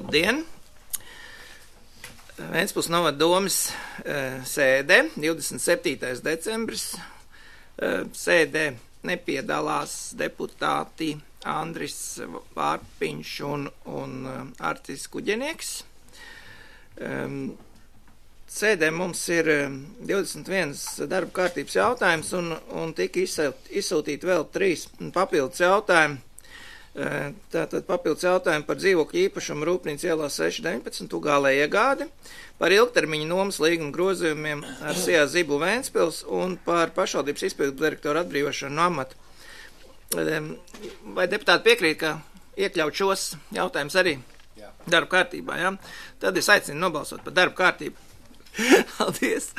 Labdien! Ventspils novada domes sēdē, 27. decembris. Sēdē nepiedalās deputāti Andris Vārpiņš un Artis Kuģenieks. Sēdē mums ir 21 darba kārtības jautājums un tika izsūtīti vēl 3 papildus jautājumi. Tātad papildus jautājumi par dzīvokļu īpašumu Rūpnīcas ielā 6/19 Ugālē iegādi, par ilgtermiņa nomas līguma grozījumiem ar SIA Zibu Ventspils un par pašvaldības izpildu direktoru atbrīvošanu no amata. Vai deputāti piekrīt, ka iekļaut šos jautājumus arī darba kārtībā? Ja? Tad es aicinu nobalsot par darba kārtību. Paldies!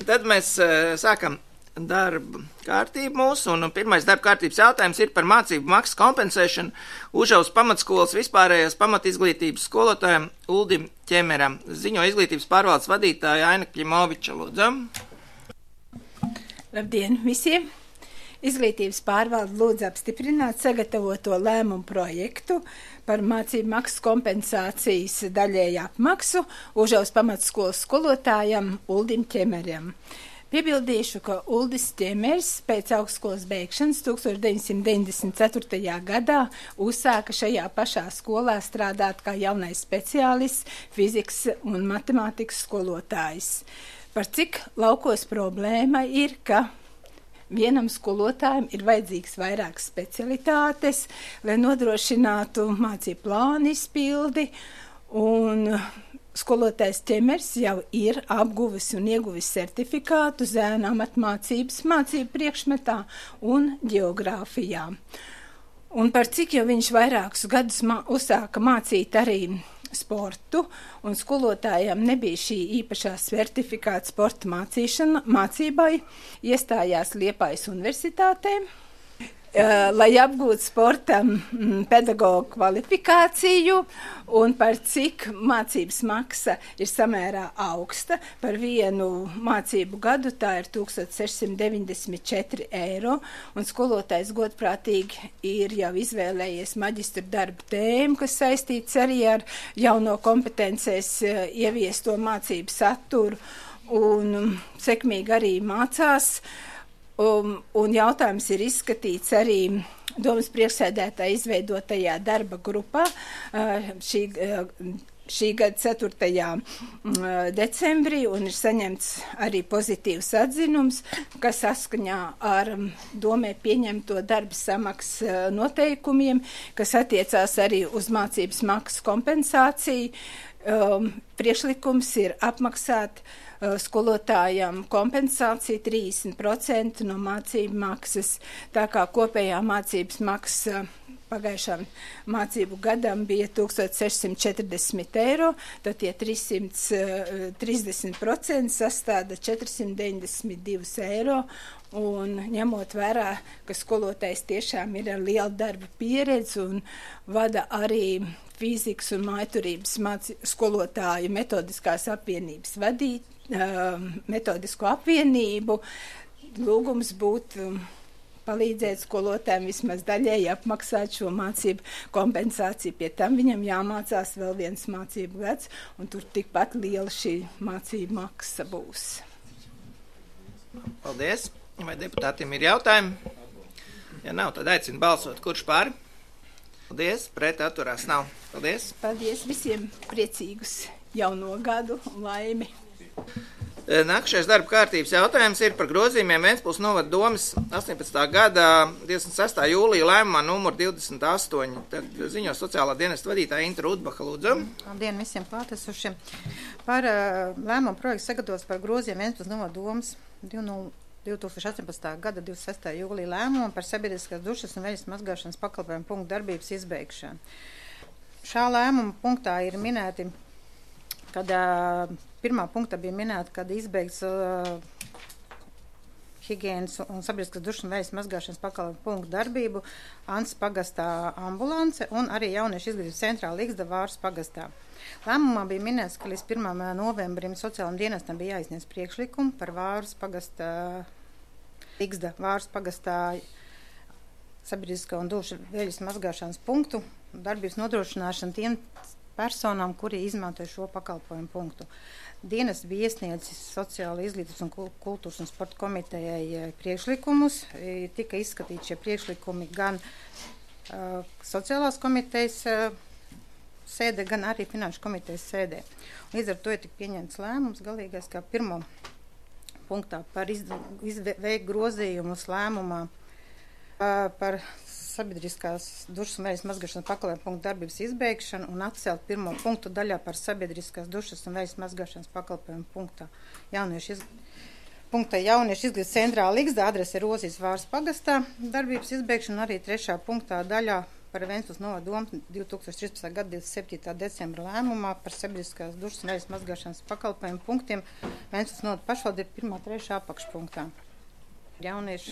Tad mēs sākam darba kārtību mūsu, un pirmais darba kārtības jautājums ir par mācību maksas kompensēšanu Užavas pamatskolas vispārējās pamatizglītības skolotājiem Uldim Ķemeram. Ziņo izglītības pārvaldes vadītāja Aina Kļimoviča, lūdzu. Labdien visiem! Izglītības pārvalde lūdz apstiprināt sagatavoto lēmumu projektu par mācību maksas kompensācijas daļēju apmaksu Užavas pamatskolas skolotājam Uldim Ķemeram. Piebildīšu, ka Uldis Ķemers pēc augstskolas beigšanas 1994. gadā uzsāka šajā pašā skolā strādāt kā jaunais speciālists, fizikas un matemātikas skolotājs. Par cik laukos problēma ir, ka vienam skolotājam ir vajadzīgs vairākas specialitātes, lai nodrošinātu mācību plānu izpildi, un skolotājs Ķemers jau ir apguvis un ieguvis certifikātu zēnu amatmācības mācību priekšmetā un ģeogrāfijā. Un par cik jau viņš vairākus gadus uzsāka mācīt arī sportu, un skolotājiem nebija šī īpašā certifikāta sporta mācībai, iestājās Liepājas universitātē, lai apgūtu sportam pedagogu kvalifikāciju, un par cik mācības maksa ir samērā augsta. Par vienu mācību gadu tā ir 1694 eiro, un skolotājs godprātīgi ir jau izvēlējies maģistra darba tēmu, kas saistīts arī ar jauno kompetencēs ieviesto mācību saturu, un sekmīgi arī mācās. Un jautājums ir izskatīts arī domas priekšsēdētāja izveidotajā darba grupā šī gada 4. decembrī, un ir saņemts arī pozitīvs atzinums, kas saskaņā ar domē pieņemto darba samaksas noteikumiem, kas attiecās arī uz mācības maksas kompensāciju. Priekšlikums ir apmaksāt skolotājam kompensāciju 30% no mācību maksas, tā kā kopējā mācības maksa pagājušām mācību gadam bija 1640 eiro, tad tie 330% sastāda 492 eiro, un ņemot vērā, ka skolotājs tiešām ir ar lielu darba pieredzi un vada arī fizikas un mājturības skolotāju metodiskās apvienības metodisko apvienību, lūgums būtu palīdzēt skolotājiem vismaz daļēji apmaksāt šo mācību kompensāciju. Pie tam viņam jāmācās vēl viens mācību gads, un tur tikpat liela šī mācību maksa būs. Paldies! Vai deputātiem ir jautājumi? Ja nav, tad aicinu balsot. Kurš pār? Paldies! Pret atturās nav. Paldies! Paldies visiem! Priecīgus jauno gadu un laimi! Nākamais darba kārtības jautājums ir par grozījumiem Ventspils novada domes 18. gada 26. jūlija lēmumā numur 28. Tad ziņo sociālā dienesta vadītāja Inta Rudbaha, lūdzu. Labdien visiem klātesošiem. Par lēmumu projektu sagatavots par grozījumiem Ventspils novada domes 2018. gada 26. jūlija lēmumu par sabiedriskās dušas un veļas mazgāšanas pakalpojumu punktu darbības izbeigšanu. Šā lēmuma punktā ir minēti, kad pirmā punktā bija minēta, kad izbeigts higienas un sabiedriskās dušas un veļas mazgāšanas pakalpojumu punktu darbību Ants pagastā ambulance un arī jauniešu izglītības centrā Ligzda Vāras pagastā. Lēmumā bija minēts, ka līdz 1. novembrim sociālam dienestam bija jāizniedz priekšlikumu par Vāras pagastā, Ligzda Vāras pagastā sabiedriskā un dušu veļas mazgāšanas punktu darbības nodrošināšanu tiem personām, kuri izmanto šo pakalpojumu punktu. Dienas bija iesniedzis Sociāla izglītības un kultūras un sporta komitejai priekšlikumus. Tika izskatīti šie priekšlikumi gan Sociālās komitejas sēdē, gan arī Finanšu komitejas sēdē. Līdz ar to ir tik pieņemts lēmums galīgais, kā pirmo punktā par veikt grozījumus lēmumā par sabiedriskās dušas un vējas mazgāšanas pakalpojumu punktu darbības izbeigšanu un atcelt pirmo punktu daļā par sabiedriskās dušas un vējas mazgāšanas pakalpojumu punktā jauniešu izglītības centrā Ligzda, adrese Rozijas Vāras pagastā, darbības izbeigšanu arī trešā punktā daļā par Ventspils novada domu 2013. gada 27. decembra lēmumā par sabiedriskās dušas un vējas mazgāšanas pakalpojumu punktiem Ventspils novada pašvaldība 1. 3. apakšpunktā. Jauniešu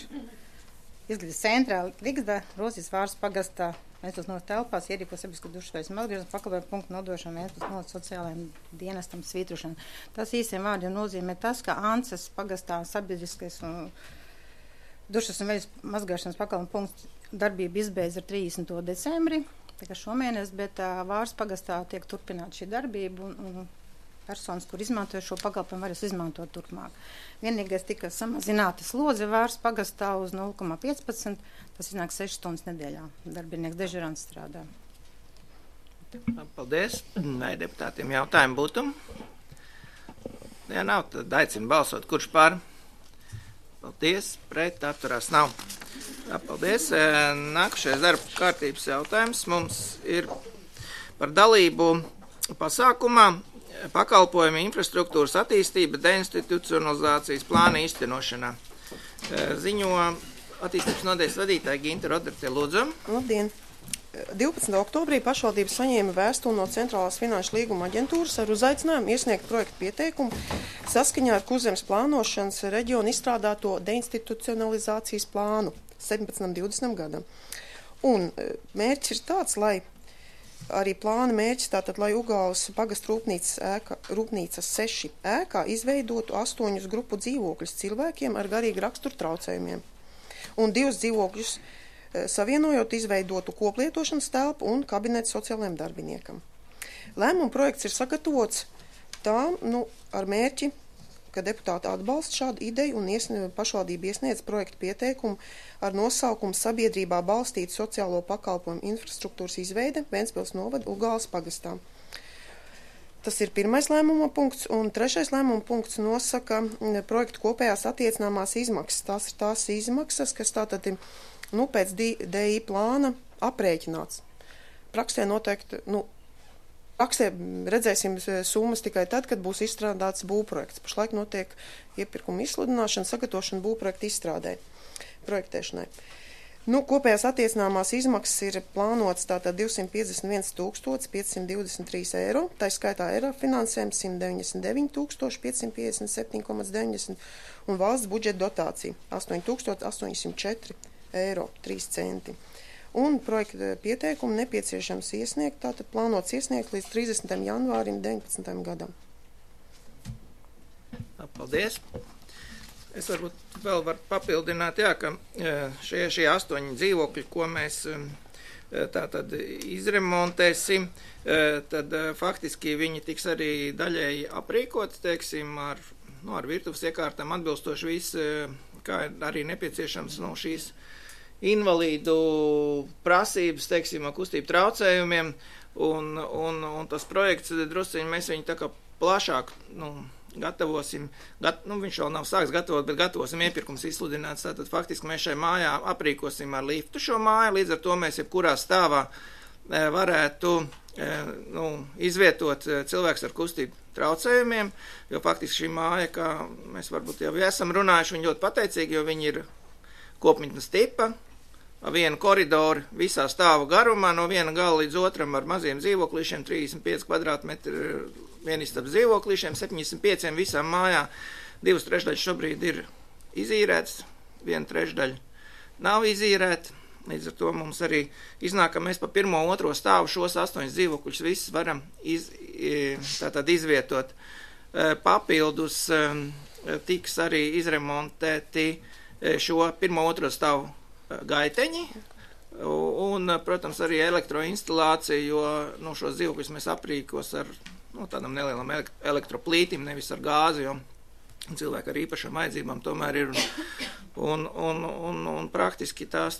izglītības centrā Ligzda, Rozijas Vāras pagastā, Ventspils novada telpās ierīko sabiedriskās dušas vējas mazgāšanas pakalpojumu punktu nodošanu Ventspils novada sociālajiem dienestam svītrošanu. Tas īsiem vārdiem nozīmē tas, ka Ances pagastā sabiedriskais un dušas un vējas mazgāšanas pakalpojumu punkts darbība izbeidz ar 30. decembri, tā kā šomēnes, bet Vāras pagastā tiek turpināta šī darbība un personas, kur izmantoja šo pakalpojumu, varēs izmantot turpmāk. Vienīgais tika samazināta slodze Vāras pagastā uz 0,15, tas iznāk 6 stundas nedēļā. Darbinieks dežurants strādā. Paldies. Vai deputātiem jautājumi būtu? Ja nav, tad aicinu balsot. Kurš pār? Paldies. Pret atturās nav. Jā, paldies. Nākušais darba kārtības jautājums mums ir par dalību pasākumā pakalpojumu infrastruktūras attīstība deinstitucionalizācijas plāna īstenošanā. Ziņo attīstības nodaļas vadītāja Ginta Rodarte, lūdzu. Labdien! 12. oktobrī pašvaldība saņēma vēstuli no Centrālās finanšu līguma aģentūras ar uzaicinājumu iesniegt projektu pieteikumu saskaņā ar Kurzemes plānošanas reģionu izstrādāto deinstitucionalizācijas plānu 17-20 gadam. Un mērķis ir tāds, lai arī plāna mērķis tātad, lai Ugāles pagastu rūpnīcas 6 ēkā izveidotu 8 grupu dzīvokļus cilvēkiem ar garīgu raksturu traucējumiem. Un 2 dzīvokļus savienojot izveidotu koplietošanas telpu un kabinetu sociālajiem darbiniekam. Lēmuma projekts ir sagatavots tā, ar mērķi, ka deputāti atbalsta šādu ideju un pašvaldība iesniedz projektu pieteikumu ar nosaukumu sabiedrībā balstītu sociālo pakalpojumu infrastruktūras izveide Ventspils novada Ugāles pagastā. Tas ir pirmais lēmuma punkts, un trešais lēmuma punkts nosaka projektu kopējās attiecināmās izmaksas. Tās ir tās izmaksas, kas tātad pēc DI plāna aprēķināts. Praksē noteikti, praksē redzēsim summas tikai tad, kad būs izstrādāts būvprojekts. Pašlaik notiek iepirkuma izsludināšana, sagatavošana būvprojekta izstrādē, projektēšanai. Kopējās attiecināmās izmaksas ir plānotas tātad 251 523 eiro, tā skaitā eiro finansējums 199 557,90 un valsts budžeta dotācija 8804 eiro 3 centi. Un projekta pieteikumu nepieciešams iesniegt, tātad plānots iesniegt līdz 30. janvārim 19. gadam. Paldies. Es varbūt vēl varu papildināt, ka šie 8 dzīvokļi, ko mēs tātad izremontēsim, tad faktiski viņi tiks arī daļēji aprīkoti, teiksim, ar virtuves iekārtām atbilstoši viss, kā arī nepieciešams šīs invalīdu prasības, teiksim, kustību traucējumiem, un tas projekts drusciņi mēs viņu tā kā plašāk, gatavosim, viņš vēl nav sāks gatavot, bet gatavosim iepirkums izsludināts, tātad faktiski mēs šai mājā aprīkosim ar liftu šo māju, līdz ar to mēs jebkurā stāvā varētu izvietot cilvēks ar kustību traucējumiem, jo faktiski šī māja, kā mēs varbūt jau esam runājuši, viņi ļoti pateicīgi, jo viņi ir kopmītnes tipa, vienu koridoru visā stāvu garumā, no viena gala līdz otram ar maziem dzīvoklīšiem, 35 kvadrātmetri vienistabas dzīvoklīšiem, 75 visām mājā, 2/3 šobrīd ir izīrēts, 1/3 nav izīrēta, līdz ar to mums arī iznāk, ka mēs pa 1. 2. stāvu šos 8 dzīvokļus visus varam tātad izvietot. Papildus tiks arī izremontēti šo 1. 2. stāvu gaiteņi, Un, protams, arī elektroinstalācija, jo šos dzīvokļus mēs aprīkos ar tādam nelielam elektroplītim, nevis ar gāzi, jo cilvēki ar īpašām vajadzībām tomēr ir. Un praktiski tās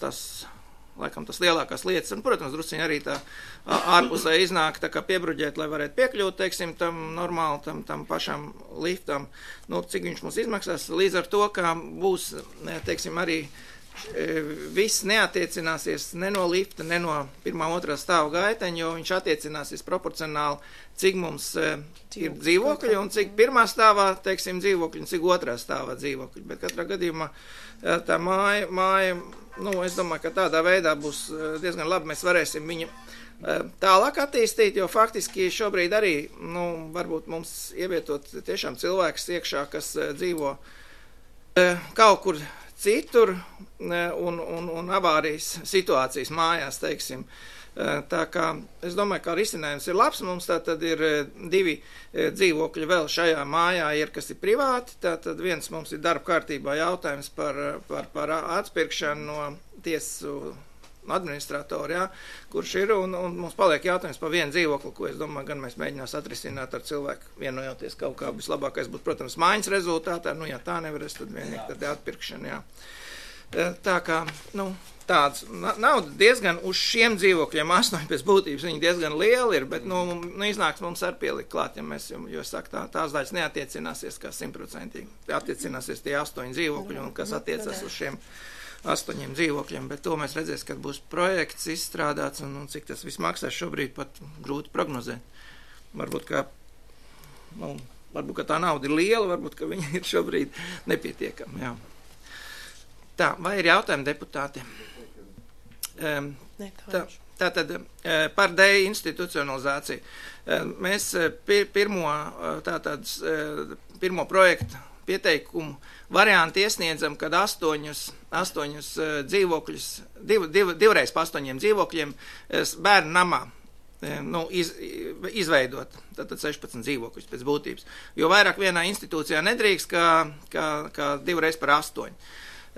laikam tas lielākās lietas, un, protams, drusciņi arī tā ārpusē iznāk tā kā piebruģēt, lai varētu piekļūt, teiksim, tam normāli, tam pašam liftam, cik viņš mums izmaksās, līdz ar to, ka būs, teiksim, arī viss neatiecināsies ne no lifta, ne no 1. 2. stāva gaiteņa, jo viņš attiecināsies proporcionāli, cik mums ir dzīvokļi un cik 1. stāvā, teiksim, dzīvokļi un cik 2. stāvā dzīvokļi. Bet katrā gadījumā tā māja, es domāju, ka tādā veidā būs diezgan labi, mēs varēsim viņu tālāk attīstīt, jo faktiski šobrīd arī, varbūt mums ievietot tiešām cilvēks iekšā, kas dzīvo kaut kur citur un avārijas situācijas mājās, teiksim. Tā kā es domāju, ka risinājums ir labs, mums tātad ir 2 dzīvokļi vēl šajā mājā ir, kas ir privāti, tātad viens mums ir darba kārtībā jautājums par atpirkšanu no tiesu administratori, kurš ir, un mums paliek jautājums par vienu dzīvokli, ko es domāju, gan mēs mēģinās atrisināt ar cilvēku vienojoties kaut kā vislabākais būtu, protams, mājas rezultātā, ja tā nevarēs, tad vienīgi tad atpirkšana, Tā kā, tāds nauda diezgan uz šiem dzīvokļiem 8 pēc būtības, viņi diezgan lieli ir, bet, iznāks mums ar pielikt klāt, ja mēs, jo saku, tās daļas neatiecināsies kā 100%, attiecināsies tie 8 dzīvokļi, un kas attiecas uz šiem 8 dzīvokļiem, bet to mēs redzēs, kad būs projekts izstrādāts un cik tas viss maksās šobrīd pat grūti prognozēt. Varbūt, ka tā nauda ir liela, varbūt, ka viņa ir šobrīd nepietiekama, jā. Tā, vai ir jautājumi deputāti? Tātad par deinstitucionalizāciju. Mēs pirmo projektu pieteikumu variantu iesniedzam, kad 8 dzīvokļus, divreiz pa 8 dzīvokļiem bērnu namā izveidot, tātad 16 dzīvokļus pēc būtības. Jo vairāk vienā institūcijā nedrīkst, kā divreiz par 8.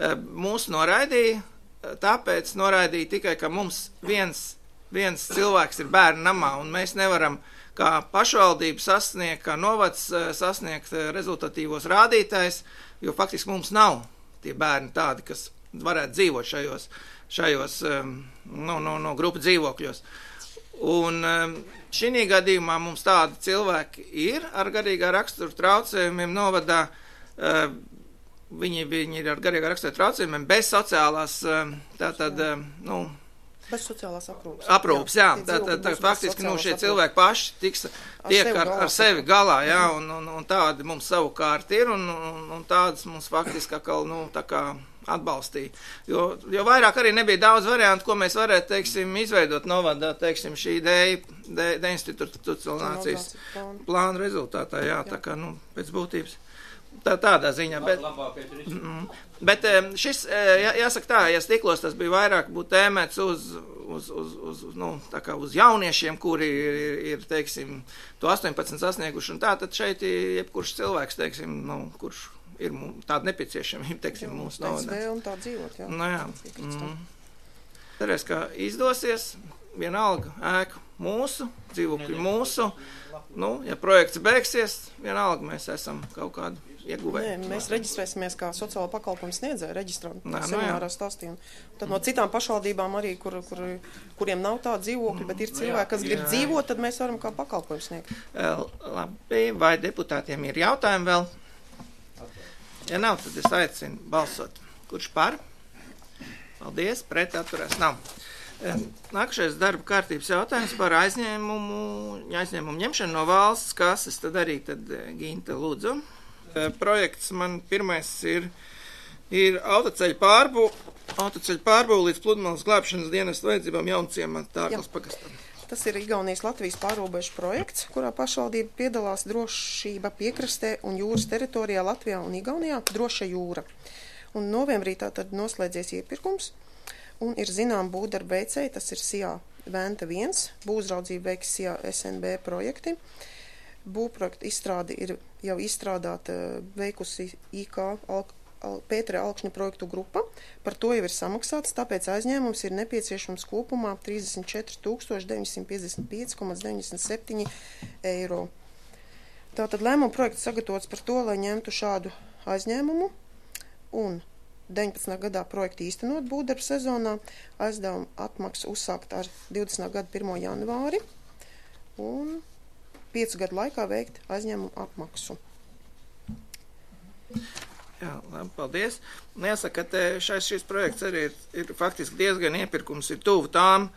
Mūs noraidīja, tāpēc noraidīja tikai, ka mums viens cilvēks ir bērnu namā, un mēs nevaram kā pašvaldība sasniegt, kā novads sasniegt rezultatīvos rādītājs, jo faktiski mums nav tie bērni tādi, kas varētu dzīvot šajos grupu dzīvokļos. Un šī gadījumā mums tādi cilvēki ir ar garīgā rakstura traucējumiem novadā, viņi ir ar garīgā rakstura traucējumiem bez sociālās, bez sociālās aprūpes, jā. Tātad faktiski šie cilvēki paši tiek ar sevi galā, jā, un tādi mums savukārt ir, un tādas mums faktiski tā kā atbalstīja. Jo vairāk arī nebija daudz variantu, ko mēs varētu, teiksim, izveidot novadā, teiksim, šī deinstitucionalizācijas plāna rezultātā, jā, tā kā, pēc būtības. Tādā ziņā, bet šis, jāsaka tā, ja Stiklos tas bija vairāk būtu tēmēts uz jauniešiem, kuri ir, teiksim, to 18 sasnieguši, un tad šeit jebkurš cilvēks, teiksim, kurš ir tāda nepieciešamība, teiksim, mūsu novadā. Un tā dzīvot, jā. Jā. Cerēs, ka izdosies, vienalga ēku mūsu, dzīvokļu mūsu, ja projekts beigsies, vienalga mēs esam kaut kādu ieguvēji. Nē, mēs reģistrēsimies kā sociālo pakalpojumu sniedzēju reģistram, seminārā stāstījām. Tad no citām pašvaldībām arī, kuriem nav tāda dzīvokļa, bet ir cilvēki, kas grib dzīvot, tad mēs varam kā pakalpojumu sniegt. Labi, vai deputātiem ir jautājumi vēl? Ja nav, tad es aicinu balsot. Kurš par? Paldies, pret atturēs nav. Nākušais darba kārtības jautājums par aizņēmumu ņemšanu no valsts kases, tad arī Ginta lūdzu. Projekts man pirmais ir autoceļu pārbūve līdz pludmales glābšanas dienas vajadzībām Jaunciemā Tārklas pagastā. Tas ir Igaunijas Latvijas pārrobežu projekts, kurā pašvaldība piedalās drošība piekrastē un jūras teritorijā Latvijā un Igaunijā droša jūra. Un novembrī tātad noslēdzies iepirkums un ir zinām būvdarba veicēji, tas ir SIA Venta 1, būvuzraudzība veiks SIA SNB projekti. Būvprojekta izstrāde ir jau izstrādāta veikusi IK Pētera Alkšņa projektu grupa. Par to jau ir samaksāts, tāpēc aizņēmums ir nepieciešams kopumā 34 955,97 eiro. Tātad lēmuma projekts sagatavots par to, lai ņemtu šādu aizņēmumu un 19. gadā projektu īstenot būvdarbu sezonā, aizdevuma atmaksa uzsākt ar 20. gada 1. janvāri un 5 gadu laikā veikt aizņēmumu apmaksu. Jā, labi, paldies. Jāsaka, ka šis projekts arī ir faktiski diezgan iepirkums, ir tuvu tām,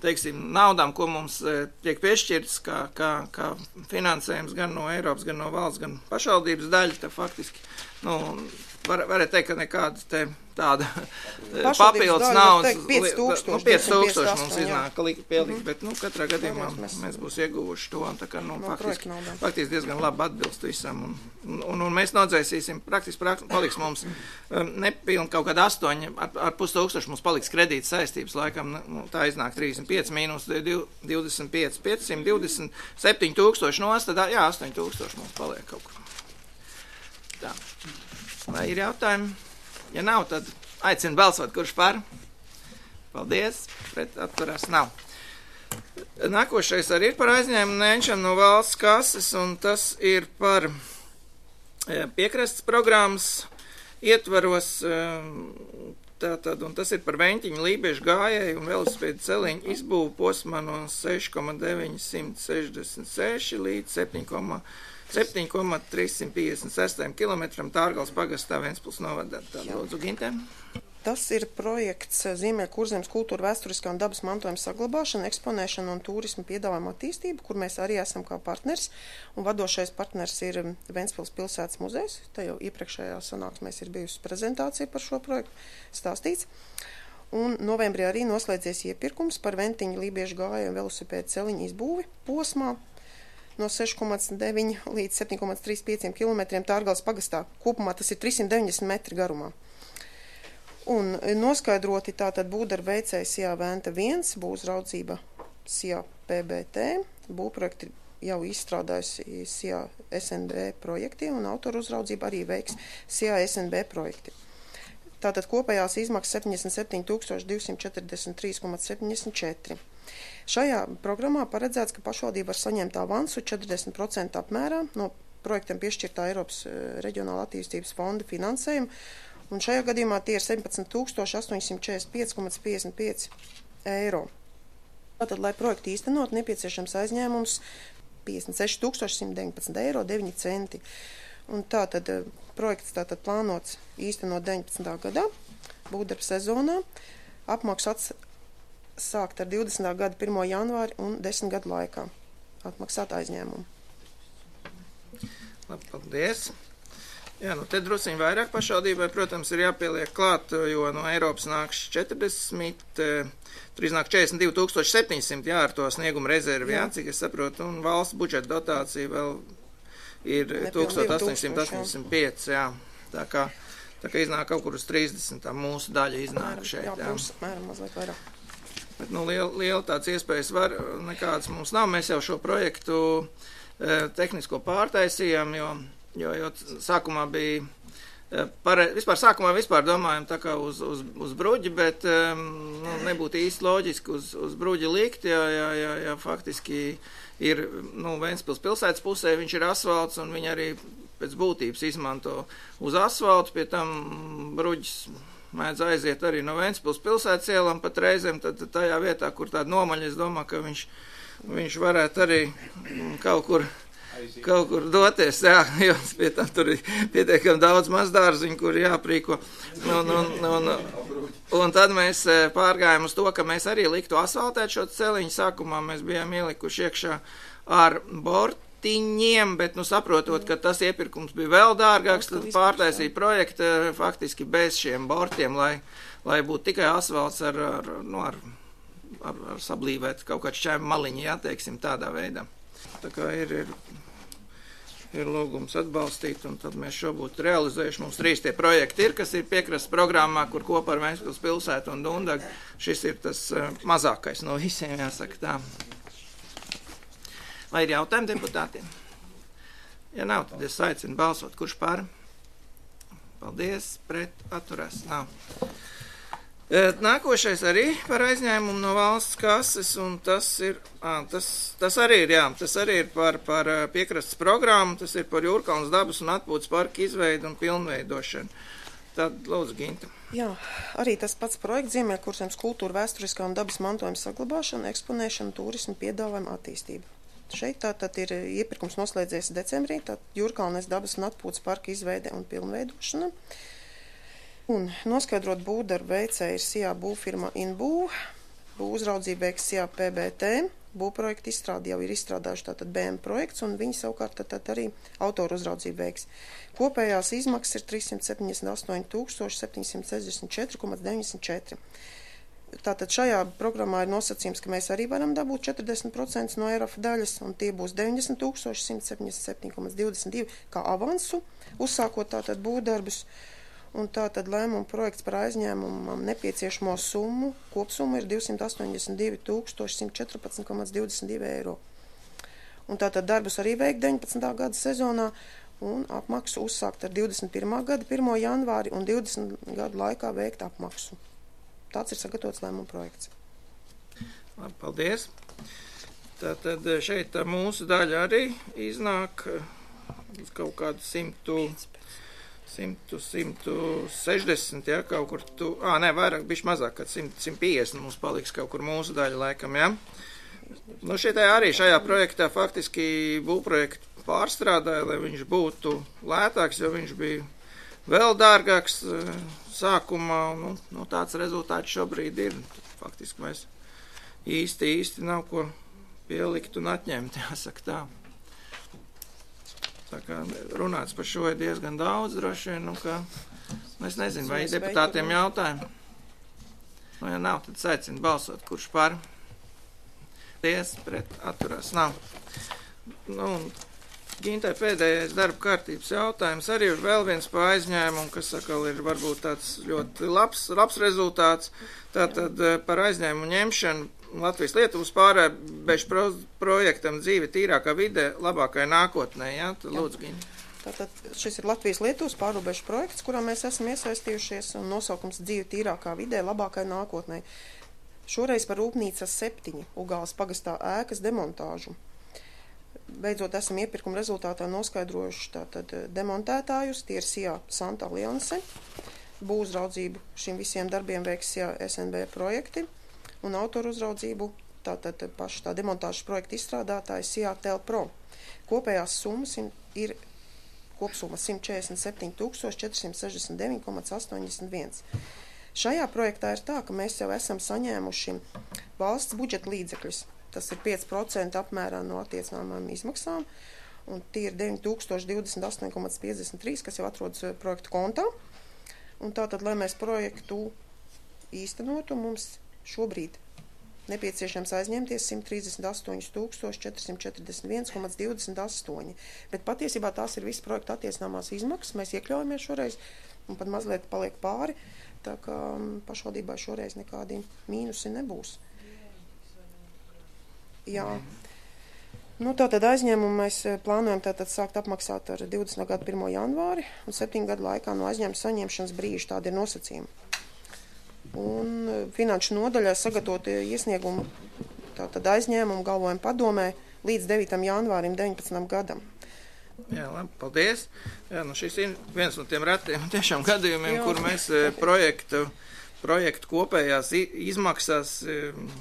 teiksim, naudām, ko mums tiek piešķirts, kā finansējums gan no Eiropas, gan no valsts, gan pašvaldības daļa, tā faktiski, varētu teikt, ka nekāda tāda papildus naudas, 5000 mums iznāk pielikt, bet, katrā gadījumā mēs būs ieguvuši to, un tā kā, faktiski diezgan labi atbilst visam, un mēs nodzēsīsim, praktiski paliks mums nepilni kaut kāda 8,5 mums paliks kredīta saistības, laikam, tā iznāk 35 mīnus 25, 527 tūkstoši nost, tad, 8,000 mums paliek kaut kur. Tā. Vai ir jautājumi? Ja nav, tad aicinu balsot, kurš par. Paldies, pret atturās nav. Nākošais arī ir par aizņēmumu ņemšanu no valsts kases, un tas ir par piekrastes programmas ietvaros, tātad, un tas ir par Veņķiņu Lībiešu gājēju un velosipēdu celiņu izbūvu posmā no 6,966 līdz 7,356 km Tārgales pagastā Ventspils novadā. Lūdzu, Gintē. Tas ir projekts Ziemeļkurzemes kultūra vēsturiskā un dabas mantojuma saglabāšana, eksponēšana un turisma piedāvājuma attīstība, kur mēs arī esam kā partners. Un vadošais partners ir Ventspils pilsētas muzejs. Tā jau iepriekšējā sanāksmēs ir bijusi prezentācija par šo projektu stāstīts. Un novembrī arī noslēdzies iepirkums par Veņķiņu Lībiešu gājēju un velosipēdu celiņu izbūvi posmā no 6,9 līdz 7,35 km Tārgales pagastā. Kopumā tas ir 390 metri garumā. Un noskaidroti tātad būvdarba veicēja SIA Venta 1, būvraudzība SIA PBT, būvprojekti jau izstrādājusi SIA SNB projekti un autoru uzraudzība arī veiks SIA SNB projekti. Tātad kopējās izmaksas 77 243,74. Šajā programmā paredzēts, ka pašvaldība var saņemt avansu 40% apmērā no projektam piešķirtā Eiropas reģionāla attīstības fonda finansējuma, un šajā gadījumā tie ir 17 845,55 eiro. Tātad, lai projektu īstenot, nepieciešams aizņēmums 56 119 eiro 9 centi. Un tātad projekts tātad plānots īstenot 19. gadā, būvdarba sezonā, apmaksu sākt ar 20. gada 1. janvāri un 10 gadu laikā atmaksāt aizņēmumu. Labi, paldies. Jā, te drusciņi vairāk pašvaldībai, protams, ir jāpieliek klāt, jo no Eiropas nāks 40, tur iznāk 42 700, ar to snieguma rezervi, cik es saprotu, un valsts budžeta dotācija vēl ir 1885, Tā kā iznāk kaut kur uz 30, tā mūsu daļa iznāk šeit. Jā, mēram mazliet vairāk. Bet, liela tāds iespējas nekādas mums nav. Mēs jau šo projektu tehnisko pārtaisījām, jo sākumā bija, vispār domājam tā kā uz bruģi, bet nebūtu īsti loģiski uz bruģi likt, ja faktiski ir, Ventspils pilsētas pusē viņš ir asfalts, un viņi arī pēc būtības izmanto uz asfaltu, pie tam bruģis mēdz aiziet arī no Ventspils pilsētas ielām pat reizēm, tad tajā vietā, kur tāda nomaļa, es domāju, ka viņš varētu arī kaut kur doties, jo pie tam tur ir pietiekami daudz mazdārziņu, kur jāprīko. Un tad mēs pārgājām uz to, ka mēs arī liktu asfaltēt šo celiņu. Sākumā mēs bijām ielikuši iekšā ar bortiņiem, bet, saprotot, ka tas iepirkums bija vēl dārgāks, tad pārtaisīja projektu faktiski bez šiem bortiem, lai būtu tikai asfalts ar sablīvēt kaut kādu šķēmu maliņu, teiksim, tādā veidā. Tā kā ir lūgums atbalstīt, un tad mēs šo būtu realizējuši. Mums 3 tie projekti ir, kas ir piekrastes programmā, kur kopā ar Ventspils pilsētu un Dundagu. Šis ir tas mazākais no visiem, jāsaka tā. Vai ir jautājumi deputātiem? Ja nav, tad es aicinu balsot. Kurš par? Paldies, pret atturās nav. Nākošais arī par aizņēmumu no valsts kases, un tas ir, tas arī ir par piekrastes programmu, tas ir par Jūrkalnas dabas un atpūtas parka izveidu un pilnveidošanu. Tad lūdzu, Ginta. Jā, arī tas pats projekts Ziemeļkurzemes kultūra, vēsturiskā un dabas mantojuma saglabāšana, eksponēšana, turismu, piedāvājuma attīstība. Šeit tātad ir iepirkums noslēdzies decembrī, tātad Jūrkalnes dabas un atpūtas parka izveide un pilnveidošana. Un noskaidrot būvdarbu veicēja ir SIA būvfirma Inbū, būvuzraudzība veiks SIA PBT, būvprojektu izstrādi jau ir izstrādājuši tātad BM projekts, un viņi savukārt tātad arī autoru uzraudzību veiks. Kopējās izmaksas ir 378 764,94. Tātad šajā programmā ir nosacījums, ka mēs arī varam dabūt 40% no ERAF daļas, un tie būs 90 177,22 kā avansu, uzsākot tātad būvdarbus. Un tātad lēmuma projekts par aizņēmumam nepieciešamo summu, kopsumma ir 282 114,22 eiro. Un tātad darbus arī veikt 19. gada sezonā, un apmaksu uzsākt ar 21. gada 1. janvāri un 20 gadu laikā veikt apmaksu. Tāds ir sagatavots lēmuma projekts. Labi, paldies. Tātad šeit mūsu daļa arī iznāk kaut kādu 160, ja, kaut kur vairāk, bišķi mazāk, kad 150 mums paliks kaut kur mūsu daļa laikam, ja. Nu, arī šajā projektā faktiski būvprojektu pārstrādāja, lai viņš būtu lētāks, jo viņš bija vēl dārgāks sākumā, nu tāds rezultāts šobrīd ir. Faktiski mēs īsti nav ko pielikt un atņemt, jāsaka tā. Tā kā runāts par šo ir diezgan daudz, droši vien, es nezinu, vai deputātiem jautājumi. Nu, ja nav, tad aicinu balsot, kurš par. Paldies, pret atturās nav. Nu, Gintai pēdējais darba kārtības jautājums arī ir vēl viens pa aizņēmumu, kas atkal ir varbūt tāds ļoti labs rezultāts. Tātad par aizņēmumu ņemšanu Latvijas-Lietuvas pārrobežu projektam dzīve tīrākā vidē labākai nākotnē, jā? Tad lūdzu, Ginta. Tātad šis ir Latvijas-Lietuvas pārrobežu projekts, kurā mēs esam iesaistījušies, un nosaukums dzīve tīrākā vidē labākai nākotnē. Šoreiz par Rūpnīcas 7 Ugāles pagastā ēkas demontāžu. Beidzot esam iepirkuma rezultātā noskaidrojuši tātad demontētājus, tie ir SIA Santa Alianse, būvuzraudzību šiem visiem darbiem veiks SIA SNB projekti, un autoru uzraudzību, tātad paši tā demontāžas projekta izstrādātāji SIA Telpro. Kopējās summas ir kopsumma 147 469,81. Šajā projektā ir tā, ka mēs jau esam saņēmuši valsts budžeta līdzekļus. Tas ir 5% apmērā no attiecināmām izmaksām, un tie ir 9028,53, kas jau atrodas projektu kontā. Un tātad, lai mēs projektu īstenotu, mums šobrīd nepieciešams aizņemties 138 441,28. Bet patiesībā tās ir visas projekta attiecināmās izmaksas. Mēs iekļaujamies šoreiz, un pat mazliet paliek pāri, tā kā pašvaldībā šoreiz nekādi mīnusi nebūs. Jā. Nu, tātad aizņēmumu mēs plānojam tātad sākt apmaksāt ar 20. gada 1. janvāri un 7 gadu laikā no aizņēmuma saņemšanas brīža. Tādi ir nosacījumi. Un finanšu nodaļā sagatavot iesniegumu tātad aizņēmumu galvojumu padomē līdz 9. janvārim 19. gadam. Jā, labi, paldies. Jā, nu šis ir viens no tiem retiem tiešām gadījumiem, kur mēs projektu kopējās izmaksas,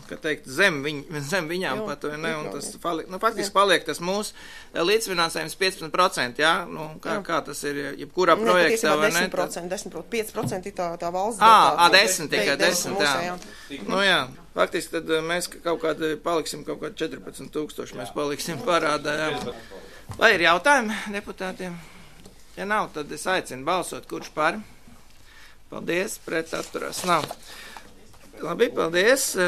kā teikt, zem viņām pat, ne, un tas faktiski paliek tas mūsu līdzfinansējums 15%, jā, nu, kā tas ir, jebkurā projektā, vai ne? 10%, 5% ir tā valsts dotācija. 10, jā. Nu jā, faktiski tad mēs paliksim kaut kādi 14 000, mēs paliksim parādā, jā. Vai ir jautājumi deputātiem? Ja nav, tad es aicinu balsot, kurš par. Paldies, pret atturās nav. Labi, paldies.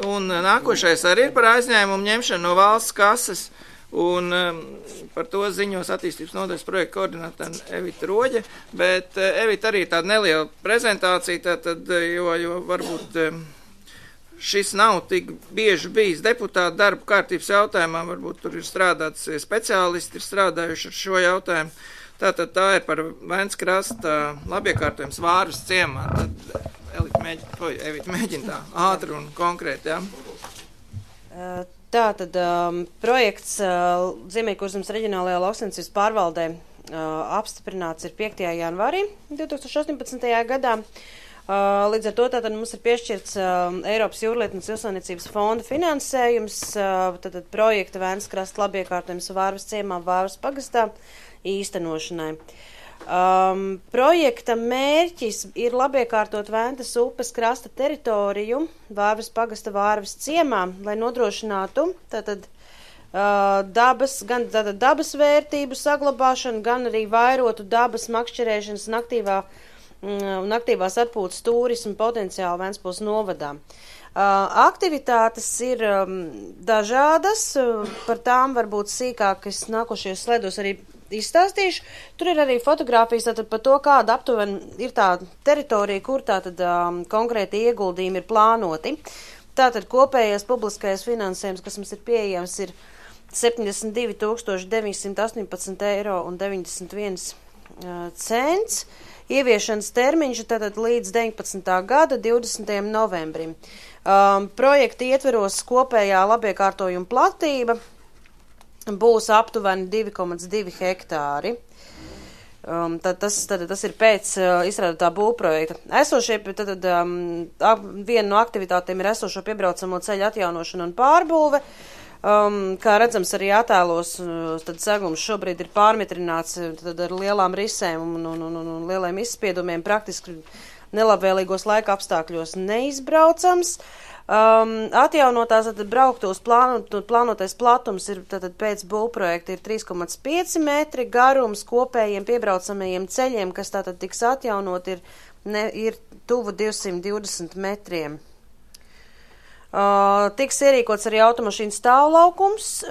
Un nākošais arī ir par aizņēmumu ņemšanu no valsts kases. Un par to ziņos attīstības nodaļas projekta koordinātāra Evita Roģe. Bet Evita arī tāda neliela prezentācija, tātad, jo varbūt šis nav tik bieži bijis deputāta darba kārtības jautājumā. Varbūt tur ir strādāts speciālisti, ir strādājuši ar šo jautājumu. Tātad tā ir par Vēnskrasta labiekārtojums Vārvas ciemā. Tad Evita mēģina tā ātri un konkrēti, jā. Tātad projekts Ziemeļkurzemes reģionālajā lauksaimniecības pārvaldē apstiprināts ir 5. janvārī 2018. gadā. Līdz ar to tātad mums ir piešķirts Eiropas jūrlietu un Zivsaimniecības fonda finansējums, tātad projekta Vēnskrasta labiekārtojums Vārvas ciemā Vārvas pagastā īstenošanai. Projekta mērķis ir labiekārtot Ventas upes krasta teritoriju Vārvas pagasta Vārvas ciemā, lai nodrošinātu tātad dabas vērtību saglabāšanu, gan arī vairotu dabas makšķerēšanas un aktīvās atpūtas turismu potenciālu Ventspils novadā. Aktivitātes ir dažādas, par tām varbūt sīkāk es nākošajos slaidos arī izstāstīšu. Tur ir arī fotogrāfijas tātad par to, kāda aptuveni ir tā teritorija, kur tātad konkrēti ieguldījumi ir plānoti. Tātad kopējais publiskais finansējums, kas mums ir pieejams, ir 72 918 eiro un 91 cents. Ieviešanas termiņš tātad līdz 19. gada 20. novembrim. Projekta ietveros kopējā labiekārtojuma platība būs aptuveni 2,2 hektāri. Tas ir pēc izstrādātā būvprojekta. Viena no aktivitātēm ir esošo piebraucamo ceļu atjaunošana un pārbūve. Kā redzams arī attēlos, tad segums šobrīd ir pārmitrināts ar lielām risēm un lieliem izspiedumiem, praktiski nelabvēlīgos laika apstākļos neizbraucams. Atjaunotās brauktos plānotais platums ir pēc būvprojekta ir 3,5 metri, garums kopējiem piebraucamajiem ceļiem, kas tātad tiks atjaunot, ir tuvu 220 metriem. Tiks ierīkots arī automašīnu stāvlaukums.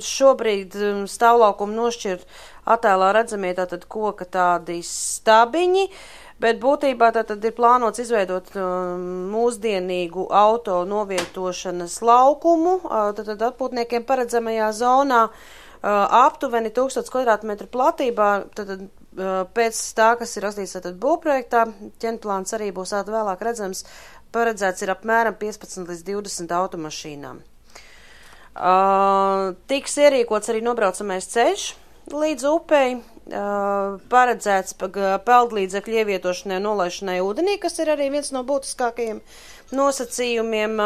Šobrīd stāvlaukumu nošķir attēlā redzamie tātad koka tādi stabiņi, bet būtībā tātad ir plānots izveidot mūsdienīgu auto novietošanas laukumu, tātad atpūtniekiem paredzamajā zonā aptuveni 1000 kvadrātmetru platībā, tātad pēc tā, kas ir rakstīts tātad būvprojektā, ķemplāns arī būs vēlāk redzams, paredzēts ir apmēram 15 līdz 20 automašīnām. Tiks ierīkots arī nobraucamais ceļš līdz upei, paredzēts peldlīdzekļu ievietošanai un nolaišanai ūdenī, kas ir arī viens no būtiskākajiem nosacījumiem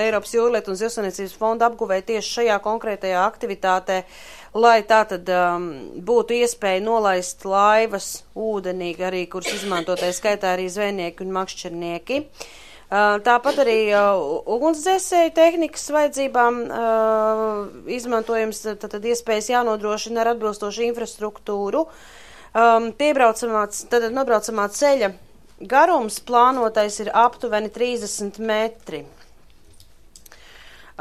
Eiropas jūrlietu un Zivsaimniecības fonda apguvē tieši šajā konkrētajā aktivitātē, lai tātad būtu iespēja nolaist laivas ūdenī, arī kuras izmantotai skaitā arī zvejnieki un makšķernieki. Tāpat arī ugunsdzēsēju tehnikas vajadzībām izmantojams tātad iespējas jānodrošina ar atbilstošu infrastruktūru. Nobraucamā ceļa garums plānotais ir aptuveni 30 metri.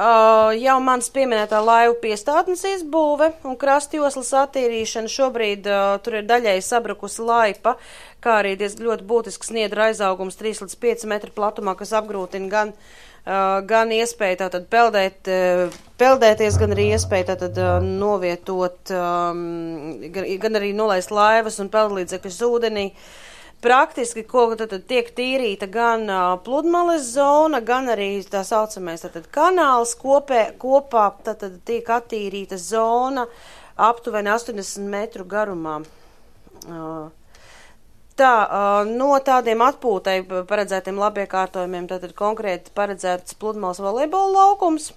Jau mans pieminētā laivu piestātnes izbūve un krastjoslas attīrīšana. Šobrīd tur ir daļēji sabrukusi laipa, kā arī ļoti būtisks sniedra aizaugums 3 līdz 5 metru platumā, kas apgrūtina gan iespēju tātad peldēties, gan arī iespēju tātad novietot, gan arī nolaist laivas un peldlīdzekļus ūdenī. Praktiski, ko tad tiek tīrīta gan pludmales zona, gan arī tā saucamais kanāls kopā tad tiek attīrīta zona aptuveni 80 metru garumā. No tādiem atpūtai paredzētiem labiekārtojumiem tad konkrēti paredzēts pludmales volejbola laukums.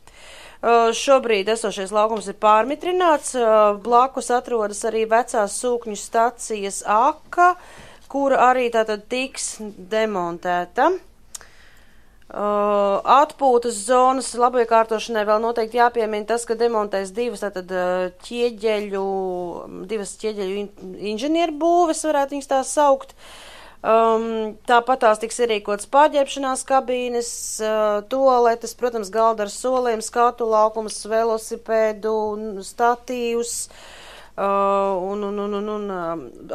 Šobrīd esošais laukums ir pārmitrināts, blakus atrodas arī vecās sūkņu stacijas aka, kura arī tātad tiks demontēta. Atpūtas zonas labiekārtošanai vēl noteikti jāpiemina tas, ka demontēs divas ķieģeļu inženieru būves, varētu viņas tās saukt. Tāpat tās tiks ierīkots pārģērbšanās kabīnes, toaletes, protams, galda ar soliem, skatu laukums, velosipēdu, statīvs, un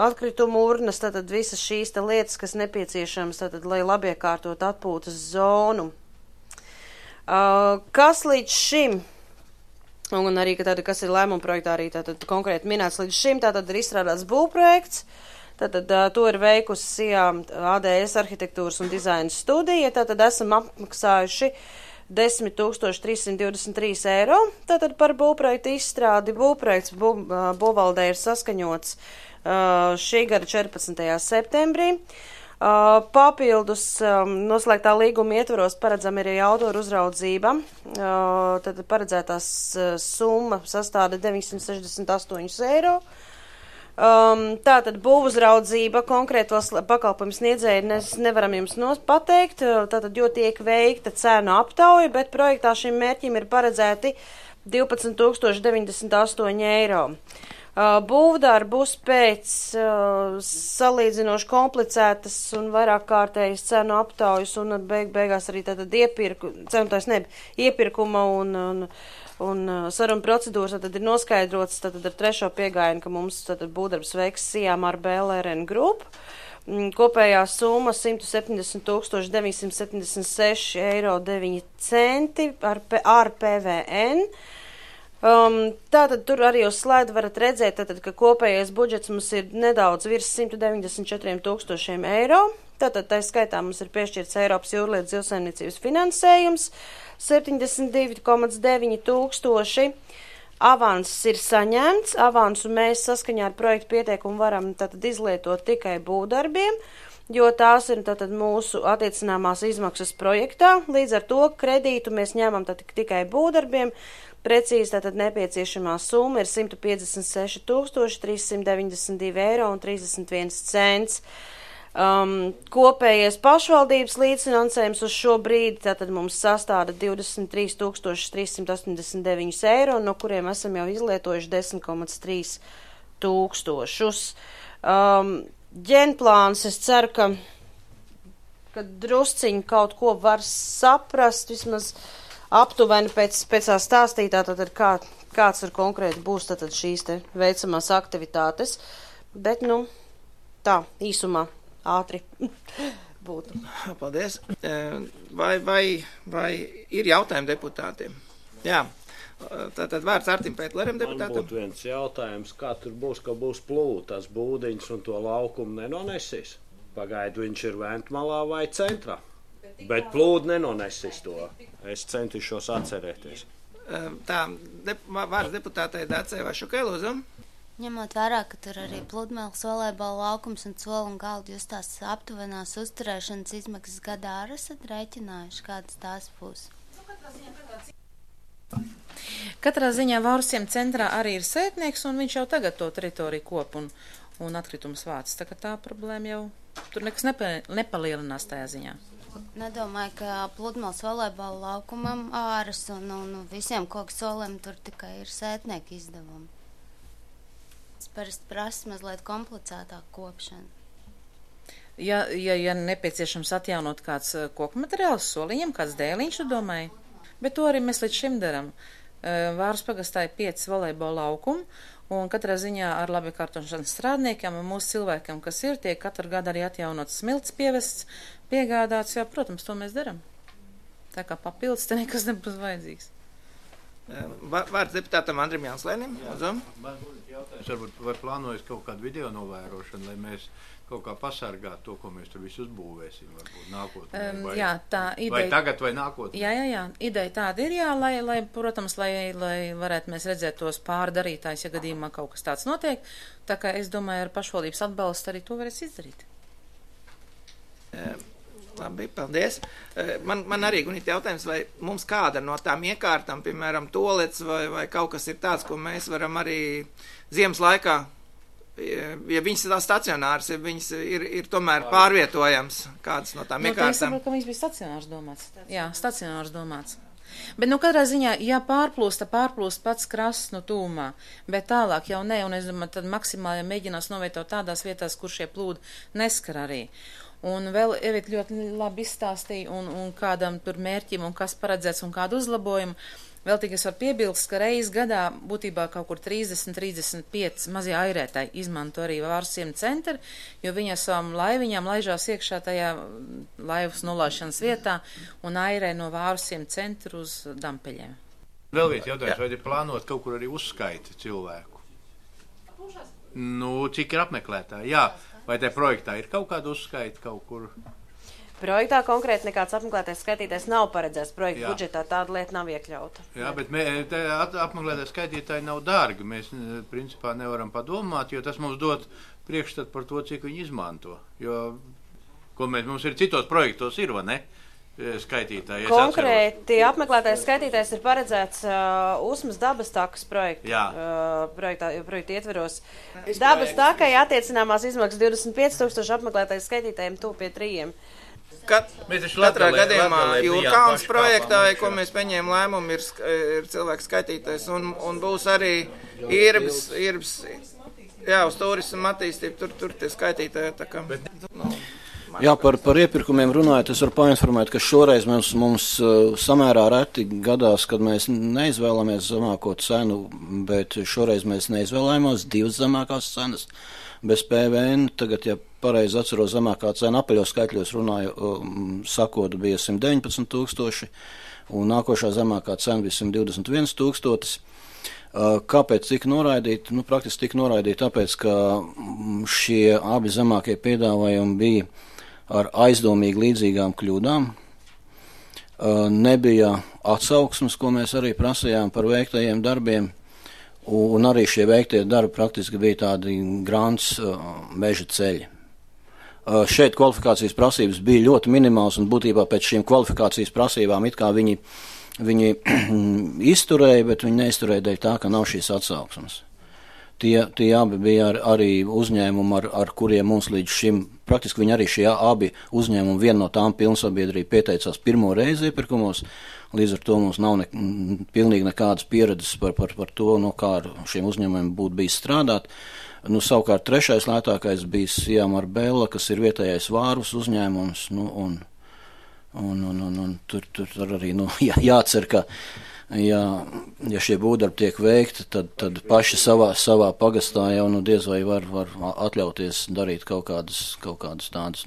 atkritumu urnas, tātad visas šīs lietas, kas nepieciešamas, tātad, lai labiekārtot atpūtas zonu. Kas līdz šim Un arī, ka tātad, kas ir lēmuma projektā, arī tātad konkrēti minēts līdz šim, tātad ir izstrādāts būvprojekts, tātad to ir veikusi SIA ADS arhitektūras un dizaina studija, tātad esam apmaksājuši 10 323 eiro, tātad par būvprojektu izstrādi. Būvprojekts būvvaldē ir saskaņots šī gada 14. septembrī. Papildus noslēgtā līguma ietvaros paredzam arī autoru uzraudzība. Tad paredzētās summa sastāda 968 eiro. Tātad būvuzraudzība konkrētos pakalpojumu sniedzēji nevaram jums pateikt, tātad, jo tiek veikta cēnu aptauja, bet projektā šim mērķim ir paredzēti 12 098 eiro. Būvdarbus pēc salīdzinoši komplicētas un vairāk kārtējas cenu aptaujas un beigās arī tātad iepirkuma un saruna procedūras tad ir noskaidrots tātad ar trešo piegājienu, ka mums tātad būvdarbs veiks SIA Marbella RN Group. Kopējā summa 170 976 eiro 9 centi ar PVN. Tātad tur arī uz slaidu varat redzēt, tātad, ka kopējais budžets mums ir nedaudz virs 194 000 eiro. Tātad tā skaitā mums ir piešķirts Eiropas jūrlietu zivsaimniecības finansējums 72,9 tūkstoši. Avanss ir saņemts. Avansu mēs saskaņā ar projektu pieteikumu varam tātad izlietot tikai būvdarbiem, jo tās ir tātad mūsu attiecināmās izmaksas projektā. Līdz ar to kredītu mēs ņemam tātad tikai būvdarbiem. Precīzi tātad nepieciešamā summa ir 156 392 eiro un 31 cents. Kopējais pašvaldības līdzfinansējums uz šo brīdi tātad mums sastāda 23 389 eiro, no kuriem esam jau izlietojuši 10,3 tūkstošus. Ģenplāns, es ceru, ka drusciņi kaut ko var saprast, vismaz aptuveni pēc tā stāstītā, tātad kāds ir konkrēti būs tātad šīs te veicamās aktivitātes, bet, tā, īsumā, ātri būtu. Paldies. Vai ir jautājumi deputātiem? Jā. Tātad vārds Artim Pētlerim deputātam. Man būtu viens jautājums, kā tur būs, ka būs plūtas būdiņas un to laukumu nenonesīs? Pagaidu viņš ir Ventmalā vai centrā? Bet plūdu nenonesīs to. Es centīšos atcerēties. Tā, vārds deputātei Dacei Vašukai, lūdzu. Ņemot vērā, ka tur arī pludmales, volejbola laukums un soli un galdu, jūs tās aptuvenās uzturēšanas izmaksas gadā arī esat rēķinājuši, kādas tās būs? Katrā ziņā Vārsiem centrā arī ir sētnieks, un viņš jau tagad to teritoriju kop un atkritumus vāc. Tā kā tā problēma jau tur nekas nepalielinās tajā ziņā. Nedomāju, ka pludmales volejbola laukumam āras un visiem koku soliem tur tikai ir sētnieki izdevumi. Es parasti prasu mazliet komplicētāk kopšanu. Ja nepieciešams atjaunot kāds koku materiāls soliņiem, kāds dēliņš, tu domāji? Bet to arī mēs līdz šim daram. Vāras pagastā ir 5 volejbola laukumu, un katrā ziņā ar labi kārtošanas strādniekiem un mūsu cilvēkiem, kas ir, tiek katru gadu arī atjaunots smilts pievests, piegādāts, jā, protams, to mēs daram. Tā kā papildus te nekas nebūs vajadzīgs. Vārds deputātam Andrim Janslēnim. Varbūt vai plānojas kaut kādu video novērošanu, lai mēs kaut kā pasargātu to, ko mēs tur visu uzbūvēsim, varbūt nākotnē. Jā, tā ideja. Vai tagad vai nākotnē? Jā. Ideja tāda ir, jā, lai protams, lai varētu mēs redzēt tos pārdarītājs, ja gadījumā kaut kas tāds notiek. Tā kā es domāju, ar pašvaldības atbalstu arī to varēs izdarīt. Labi, paldies. Man arī, Gunita, jautājums, vai mums kāda no tām iekārtām, piemēram, tolets vai kaut kas ir tāds, ko mēs varam arī ziemas laikā, ja viņas ir stacionāras, ja viņas ir tomēr pārvietojams, kādas no tām iekārtām? Es saprotu, ka viņas bija stacionārs domāts. Jā, stacionārs domāts. Bet, katrā ziņā, ja pārplūst pats krasts no tūmā, bet tālāk jau ne, un es domāju, tad maksimāli mēģinās novietot tādās vietās, kur šie plūdi neskar arī. Un vēl Evita ļoti labi izstāstīja un kādam tur mērķim un kas paredzēts un kādu uzlabojumu. Vēl tik es varu piebilst, ka reiz gadā būtībā kaut kur 30-35 mazie airētāji izmanto arī Vārsiem centru, jo viņi ar savam laiviņām laižās iekšā tajā laivas nolaišanas vietā un airē no Vārsiem centru uz Dampeļiem. Vēl viens jautājums, vai ir plānot kaut kur arī uzskaiti cilvēku? Nu, cik ir apmeklētāji? Jā, vai te projektā ir kaut kāda uzskaita kaut kur? Projektā konkrēti nekāds apmeklētais skaitītājs nav paredzēts projekta budžetā, tāda lieta nav iekļauta. Jā, bet apmeklētais skaitītāji nav dārgi. Mēs principā nevaram padomāt, jo tas mums dod priekšstat par to, cik viņi izmanto. Jo, ko mums ir citos projektos ir, vai ne? Skaitītāji. Konkrēti apmeklētais skaitītājs ir paredzēts Usmas dabas takas projekta ietveros. Dabas takai attiecināmās izmaksas 25,000 apmeklētais skaitītājiem tuvu pie 3. Katrā gadījumā Jūrkalns projektā, ko mēs pieņēmām lēmumu, ir cilvēku skaitītājs un būs arī Irbs, uz turismu attīstību, tur tie skaitītāji tā kā. Jā, par iepirkumiem runājot, es varu painformēt, ka šoreiz mums samērā reti gadās, kad mēs neizvēlamies zemāko cenu, bet šoreiz mēs neizvēlējāmies 2 zemākās cenas bez PVN. Tagad, ja pareizi atceros, zemākā cena apaļos skaitļos runāju, sakot, bija 119,000, un nākošā zemākā cena bija 121,000. Kāpēc tika noraidīti? Praktiski tika noraidīti tāpēc, ka šie abi zemākie piedāvājumi bija ar aizdomīgi līdzīgām kļūdām. Nebija atsauksmes, ko mēs arī prasījām par veiktajiem darbiem, un arī šie veiktie darbi praktiski bija tādi grants meža ceļi. Šeit kvalifikācijas prasības bija ļoti minimāls, un būtībā pēc šīm kvalifikācijas prasībām it kā viņi izturēja, bet viņi neizturēja dēļ tā, ka nav šīs atsauksmes. Tie abi bija arī uzņēmumi, ar kuriem mums līdz šim, praktiski viņi arī šie abi uzņēmumi, viena no tām pilnsabiedrība pieteicās pirmo reizi iepirkumos, līdz ar to mums nav pilnīgi nekādas pieredzes par to, kā ar šiem uzņēmumiem būtu bijis strādāt. Savukārt trešais lētākais bija Sijamar Bella, kas ir vietējais vārus uzņēmums, un tur arī jācer, ka ja šie būvdarbi tiek veikti, tad paši savā pagastā jau diez vai var atļauties darīt kaut kādas tādas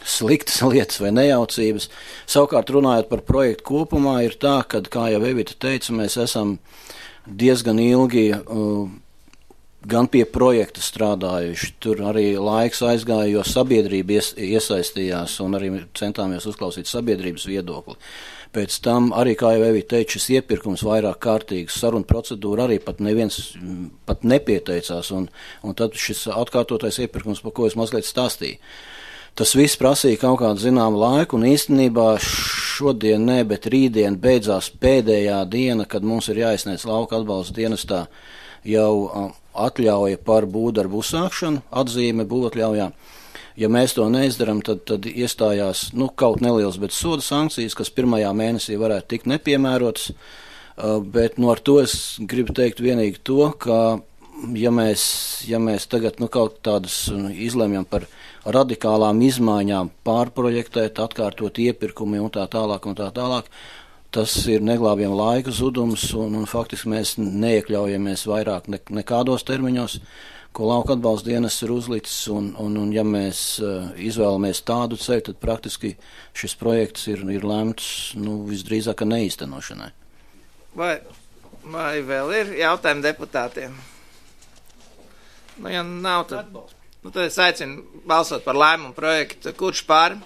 sliktas lietas vai nejaucības. Savukārt runājot par projektu kopumā, ir tā, ka, kā jau Evita teica, mēs esam diezgan ilgi gan pie projekta strādājuši. Tur arī laiks aizgāja, jo sabiedrība iesaistījās un arī centāmies uzklausīt sabiedrības viedokli. Pēc tam arī, kā jau Evita teica, šis iepirkums vairāk kārtīgs, saruna procedūra arī pat neviens pat nepieteicās, un tad šis atkārtotais iepirkums, par ko es mazliet stāstīju. Tas viss prasīja kaut kādu zināmu laiku, un īstenībā šodien ne, bet rītdien beidzās pēdējā diena, kad mums ir jāizsniedz lauka atbalsta dienestā jau atļauja par būvdarbu uzsākšanu, atzīme būvatļaujā. Ja mēs to neizdaram, tad iestājās kaut neliels, bet soda sankcijas, kas pirmajā mēnesī varētu tikt nepiemērotas, bet ar to es gribu teikt vienīgi to, ka ja mēs tagad kaut tādas izlemjam par radikālām izmaiņām, pārprojektēt, atkārtot iepirkumi un tā tālāk, tas ir neglābjam laika zudums, un faktiski mēs neiekļaujamies vairāk nekādos termiņos, ko lauka atbalsta dienas ir uzlicis, un ja mēs izvēlamies tādu ceļu, tad praktiski šis projekts ir lēmts visdrīzāk neīstenošanai. Vai vēl ir jautājumi deputātiem? Ja nav, tad es aicinu balsot par lēmumu projektu. Kurš par?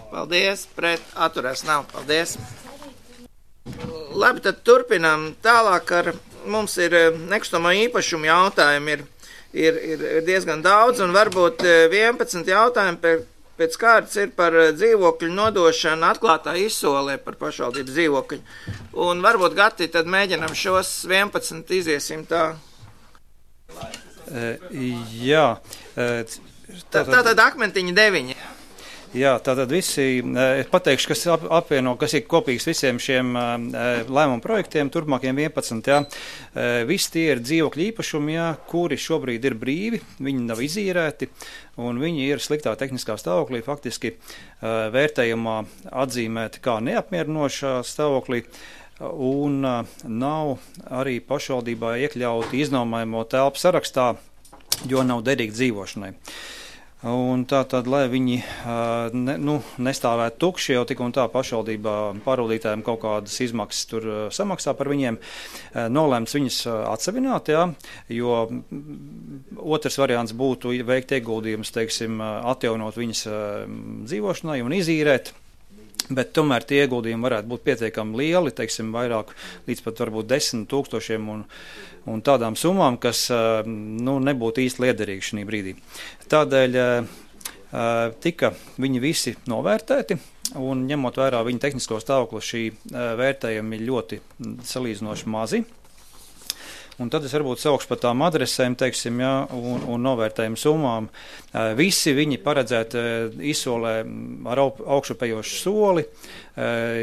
Paldies, pret, atturēs nav. Paldies. Labi, tad turpinām tālāk ar. Mums ir nekustamo īpašumu jautājumi, ir diezgan daudz, un varbūt 11 jautājumi pēc kārtas ir par dzīvokļu nodošanu atklātā izsolē par pašvaldības dzīvokļu. Un varbūt, Gati, tad mēģinam šos 11 iziesim tā. Jā. Tātad akmentiņi 9. Jā, tātad visi, es pateikšu, kas ir kopīgs visiem šiem lēmumu projektiem, turpmākiem 11, jā. Visi tie ir dzīvokļu īpašumi, jā, kuri šobrīd ir brīvi, viņi nav izīrēti, un viņi ir sliktā tehniskā stāvoklī, faktiski vērtējumā atzīmēti kā neapmierinošā stāvoklī, un nav arī pašvaldībā iekļauti iznomājamo telpu sarakstā, jo nav derīgi dzīvošanai. Un tātad, lai viņi nestāvētu tukši, jau tik un tā pašvaldībā pārvaldītājiem kaut kādas izmaksas tur samaksā par viņiem, nolēmts viņus atsevināt, jā, jo otrs variants būtu veikt ieguldījumus, teiksim, atjaunot viņas dzīvošanai un izīrēt. Bet tomēr tie ieguldījumi varētu būt pietiekami lieli, teiksim, vairāk līdz pat varbūt 10 000 un tādām summām, kas nebūtu īsti liederīgi šī brīdī. Tādēļ tika viņi visi novērtēti, un ņemot vērā viņa tehnisko stāvokli, šī vērtējumi ir ļoti salīdzinoši mazi. Un tad es varbūt saukšu par tām adresēm, teiksim, jā, un novērtējumu summām. Visi viņi paredzēti izsolē ar augšupējošu soli.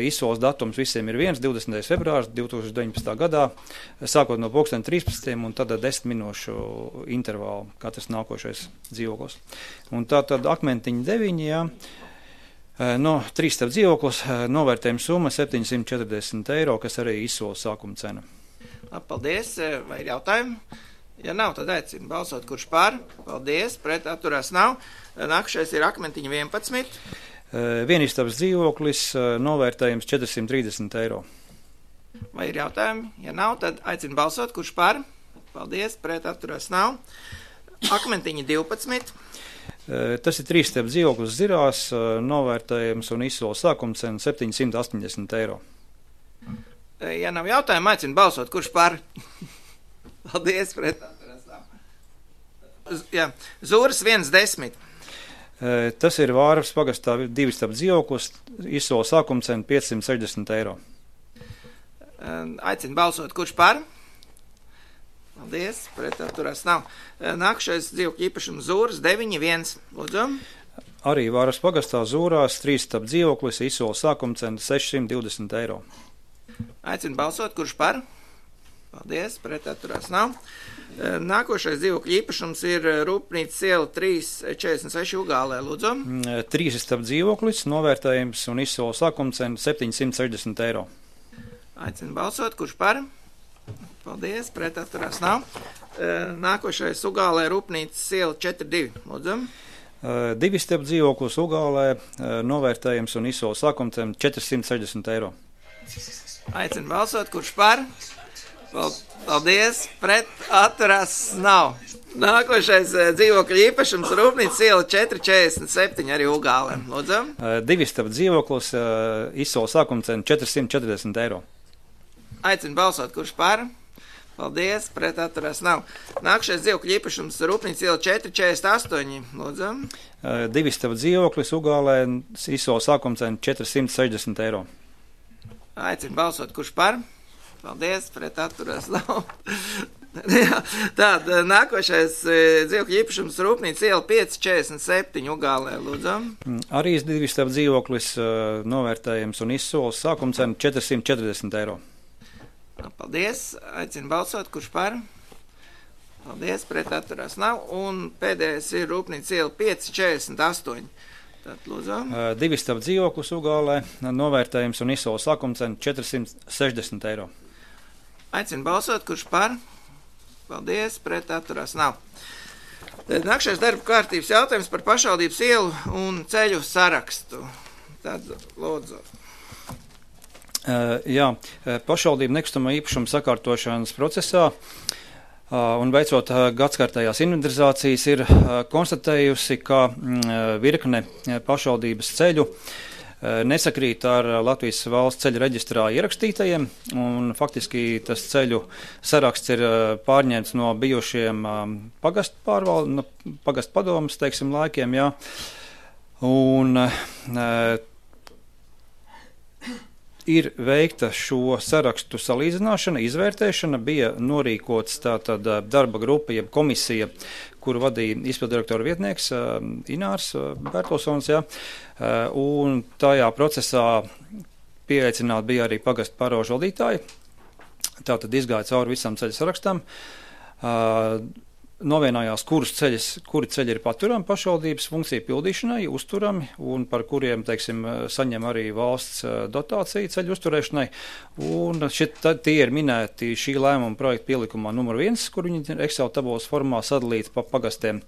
Izsoles datums visiem ir 20. februārs 2019. gadā, sākot no 13. un tad 10 minūšu intervālu katrs nākošais dzīvoklis. Un tā tad Akmentiņa 9, jā. No 3 stāv dzīvoklis, novērtējuma summa 740 eiro, kas arī izsoles sākuma cena. Paldies, vai ir jautājumi? Ja nav, tad aicinu balsot, kurš par. Paldies, pret atturās nav. Nākušais ir Akmentiņa 11. Vienistabas dzīvoklis, novērtējums 430 eiro. Vai ir jautājumi? Ja nav, tad aicinu balsot, kurš par. Paldies, pret atturās nav. Akmentiņa 12. Tas ir 3 stāv dzīvoklis Zirās, novērtējums un izsoles sākuma cena 780 eiro. Ja nav jautājumu, aicinu balsot, kurš par. Paldies, pret atturās nav. Jā, Zūras 110. Tas ir Vārvas pagastā 2 stāv dzīvoklis, izsoles sākuma cena 560 eiro. Aicinu balsot, kurš par. Paldies, pret atturās nav. Nākušais dzīvokļu īpašums Zūras 9.1. Lūdzu. Arī Vārvas pagastā Zūrās 3 stāv dzīvoklis, izsoles sākuma cena 620 eiro. Aicinu balsot, kurš par. Paldies, pret atturās nav. Nākošais dzīvokļu īpašums ir Rūpnīcas iela 346 Ugālē, lūdzu. 3 stāv dzīvoklis, novērtējums un izsoles sākuma cena 760 eiro. Aicinu balsot, kurš par. Paldies, pret atturās nav. Nākošais Ugālē Rūpnīcas iela 42, lūdzu. 2 stāv dzīvoklis Ugālē, novērtējums un izsoles sākuma cena 460 eiro. Aicinu balsot, kurš par. Paldies, pret atturās nav. Nākošais dzīvokļu īpašums Rūpnīcas iela 447 arī Ugālē. Lūdzu. 2 stāv dzīvoklis, izsoles sākuma cena 440 eiro. Aicinu balsot, kurš par. Paldies, pret atturās nav. Nākošais dzīvokļu īpašums Rūpnīcas iela 448. Lūdzu. 2 stāv dzīvoklis Ugālē, izsoles sākuma cena 460 eiro. Aicinu balsot, kurš par. Paldies, pret atturās nav. Tāda nākošais dzīvokļu īpašums Rūpnīcas iela 547 Ugālē, lūdzu. Arī 2 stāv dzīvoklis, novērtējums un izsoles sākuma cena 440 eiro. Paldies, aicinu balsot, kurš par. Paldies, pret atturās nav. Un pēdējais ir Rūpnīcas iela 548. Tātad, lūdzu. 2 stāv dzīvoklis Ugālē, novērtējums un izsoles sākuma cena 460 eiro. Aicinu balsot, kurš par. Paldies, pret atturās nav. Nākšais darba kārtības jautājums par pašvaldības ielu un ceļu sarakstu. Tad, lūdzu. Jā, pašvaldība nekustamā īpašuma sakārtošanas procesā un veicot gadskārtējās inventarizācijas ir konstatējusi, ka virkne pašvaldības ceļu nesakrīt ar Latvijas valsts ceļu reģistrā ierakstītajiem, un faktiski tas ceļu saraksts ir pārņemts no bijušiem pagastu padomas, teiksim, laikiem, jā. Un ir veikta šo sarakstu salīdzināšana, izvērtēšana, bija norīkots tātad darba grupa, jeb komisija, kuru vadīja izpildirektora vietnieks Inārs Bertelsons, jā, un tajā procesā pieaicināti bija arī pagastu pārvalžu valdītāji, tātad izgāja cauri visam ceļu sarakstam, novienājās, kuri ceļi ir paturami pašvaldības funkciju pildīšanai, uzturami un par kuriem, teiksim, saņem arī valsts dotāciju ceļu uzturēšanai. Un tie ir minēti šī lēmuma projekta pielikumā numur 1, kur viņi ir Excel tabulas formā sadalīti pa pagastiem.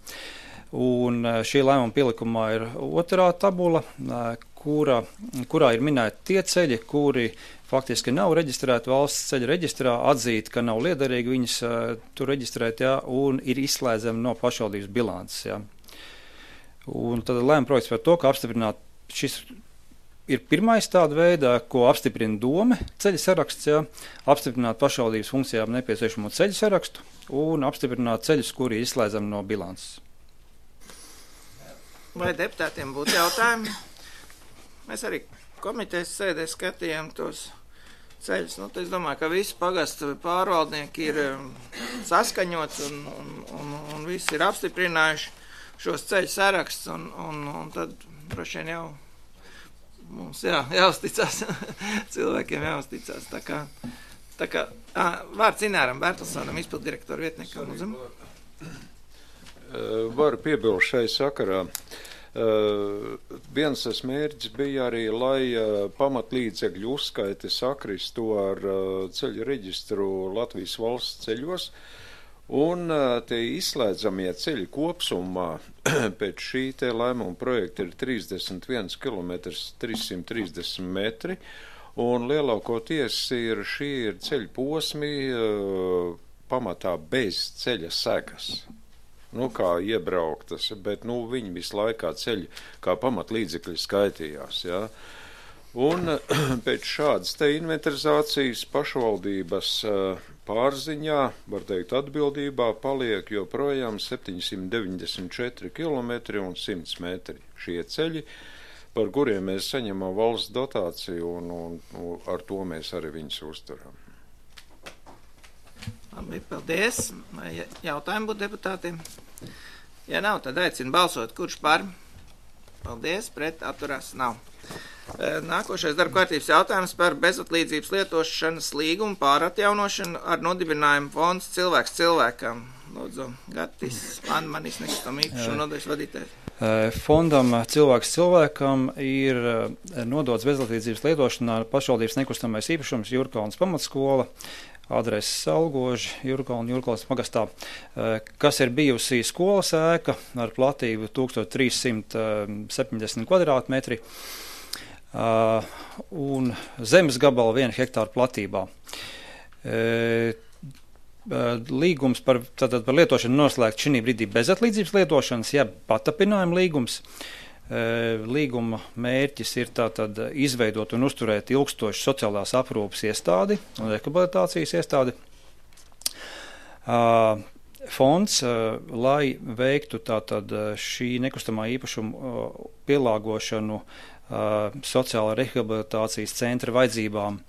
Un šī lēmuma pielikumā ir otrā tabula, kurā ir minēti tie ceļi, kuri faktiski nav reģistrēti valsts ceļa reģistrā, atzīt, ka nav liederīgi viņus tur reģistrēt, jā, un ir izslēdzami no pašvaldības bilances. Jā. Un tad lēma projekts par to, ka apstiprināt šis ir pirmais tāda veidā, ko apstiprina dome ceļa saraksts, jā, apstiprināt pašvaldības funkcijām nepieciešamo ceļa sarakstu un apstiprināt ceļus, kuri ir izslēdzami no bilances. Vai deputātiem būtu jautājumi? Mēs arī komitejas sēdē skatījām tos ceļus. Nu, es domāju, ka visi pagastu pārvaldnieki ir saskaņots un visi ir apstiprinājuši šos ceļu sarakstus, un tad droši vien jau mums jāuzticās, cilvēkiem jāuzticās. Tā kā vārds Ināram Bertelsonam, izpildirektoru vietniekam. Varu piebilst šai sakarā. Viens tas mērķis bija arī, lai pamatlīdzekļu uzskaiti sakristu ar ceļu reģistru Latvijas valsts ceļos, un tie izslēdzamie ceļi kopsumā pēc šī te lēmuma projekta ir 31 km 330 metri, un lielākoties šī ir ceļu posmi pamatā bez ceļa segas. Kā iebrauktas, bet viņi visu laikā ceļi kā pamatlīdzekļi skaitījās. Ja? Un pēc šādas te inventarizācijas pašvaldības pārziņā, var teikt atbildībā, paliek joprojām 794 km un 100 metri šie ceļi, par kuriem mēs saņemam valsts dotāciju un ar to mēs arī viņus uzturam. Labi, paldies. Vai jautājumi būtu deputātiem? Ja nav, tad aicinu balsot. Kurš par? Paldies, pret atturās nav. Nākošais darba kārtības jautājums par bezatlīdzības lietošanas līgumu pāratjaunošanu ar nodibinājumu fonds cilvēks cilvēkam. Lūdzu, Gatis, manis nekustam īpašumu nodaļas vadītājs. Fondam cilvēks cilvēkam ir nodots bezatlīdzības lietošanā pašvaldības nekustamais īpašums Jurkalnas pamatskola, adreses Salgoži, Jurkalnas pagastā, kas ir bijusi skolas ēka ar platību 1370 kvadrātmetri un zemes gabala 1 hektāru platībā. Līgums par lietošanu noslēgt šī brīdī bezatlīdzības lietošanas, patapinājuma līgums. Līguma mērķis ir tātad izveidot un uzturēt ilgstošu sociālās aprūpes iestādi un rehabilitācijas iestādi. Fonds, lai veiktu tātad šī nekustamā īpašuma pielāgošanu sociālā rehabilitācijas centra vajadzībām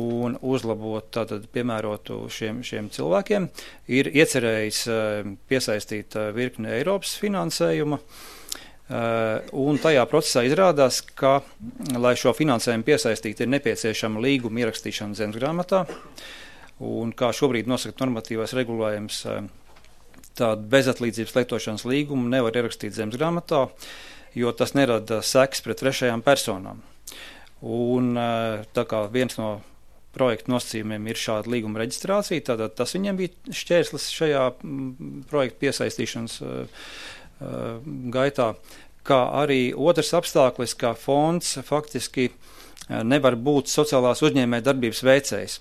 un uzlabot, tātad piemērotu šiem cilvēkiem, ir iecerējis piesaistīt virkni Eiropas finansējuma. Un tajā procesā izrādās, ka, lai šo finansējumu piesaistītu, ir nepieciešama līguma ierakstīšana zemesgrāmatā, un kā šobrīd nosaka normatīvais regulējums, tādu bezatlīdzības lietošanas līgumu nevar ierakstīt zemesgrāmatā, jo tas nerada sekas pret trešajām personām. Un tā kā viens no projekta nosacījumiem ir šāda līguma reģistrācija, tātad tas viņiem bija šķērslis šajā projekta piesaistīšanas gaitā, kā arī otrs apstākļis, ka fonds faktiski nevar būt sociālās uzņēmē darbības veicējs.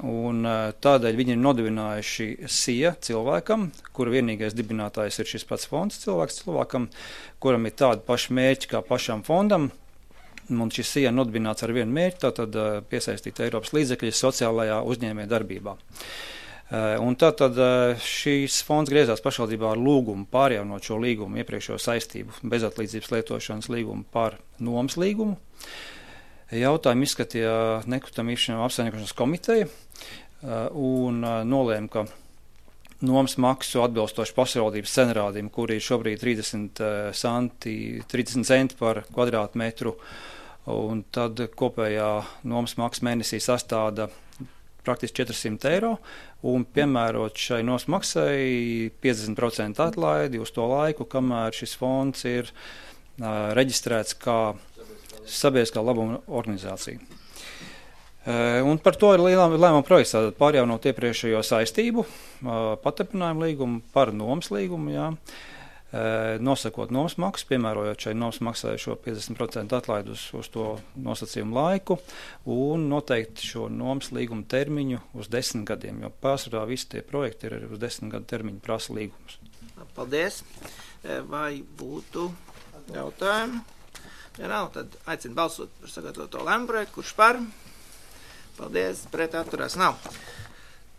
Un tādēļ viņi ir nodibinājuši SIA cilvēkam, kura vienīgais dibinātājs ir šis pats fonds cilvēkam, kuram ir tādi paši mērķi kā pašam fondam, un šis SIA nodibināts ar vienu mērķi, tātad piesaistīt Eiropas līdzekļus sociālajā uzņēmē darbībā. Un tātad šīs fonds griezās pašvaldībā ar lūgumu pārjaunot šo līgumu, iepriekšējo saistību bezatlīdzības lietošanas līgumu par nomas līgumu. Jautājumu izskatīja nekustamā īpašuma apsaimniekošanas komiteja un nolēma, ka nomas maksu atbilstoši pašvaldības cenrādiem, kuri ir šobrīd 30 centi par kvadrātmetru, un tad kopējā nomas maksa mēnesī sastāda praktiski 400 eiro, un piemērot šai nomas maksai 50% atlaidi uz to laiku, kamēr šis fonds ir reģistrēts kā sabiedriskā labuma organizācija. Un par to ir lēmuma projekts, tātad pārjaunot iepriekšējo saistību, patapinājumu līgumu par nomas līgumu, nosakot nomas maksu, piemērojot šai nomas maksai šo 50% atlaidu uz to nosacījumu laiku un noteikti šo nomas līguma termiņu uz 10 gadiem, jo pārsvarā visi tie projekti ir uz 10 gadu termiņu prasa līgumus. Paldies. Vai būtu jautājumi? Ja nav, tad aicinu balsot par sagatavoto lēmumu projektu, kurš par. Paldies, pret atturās nav.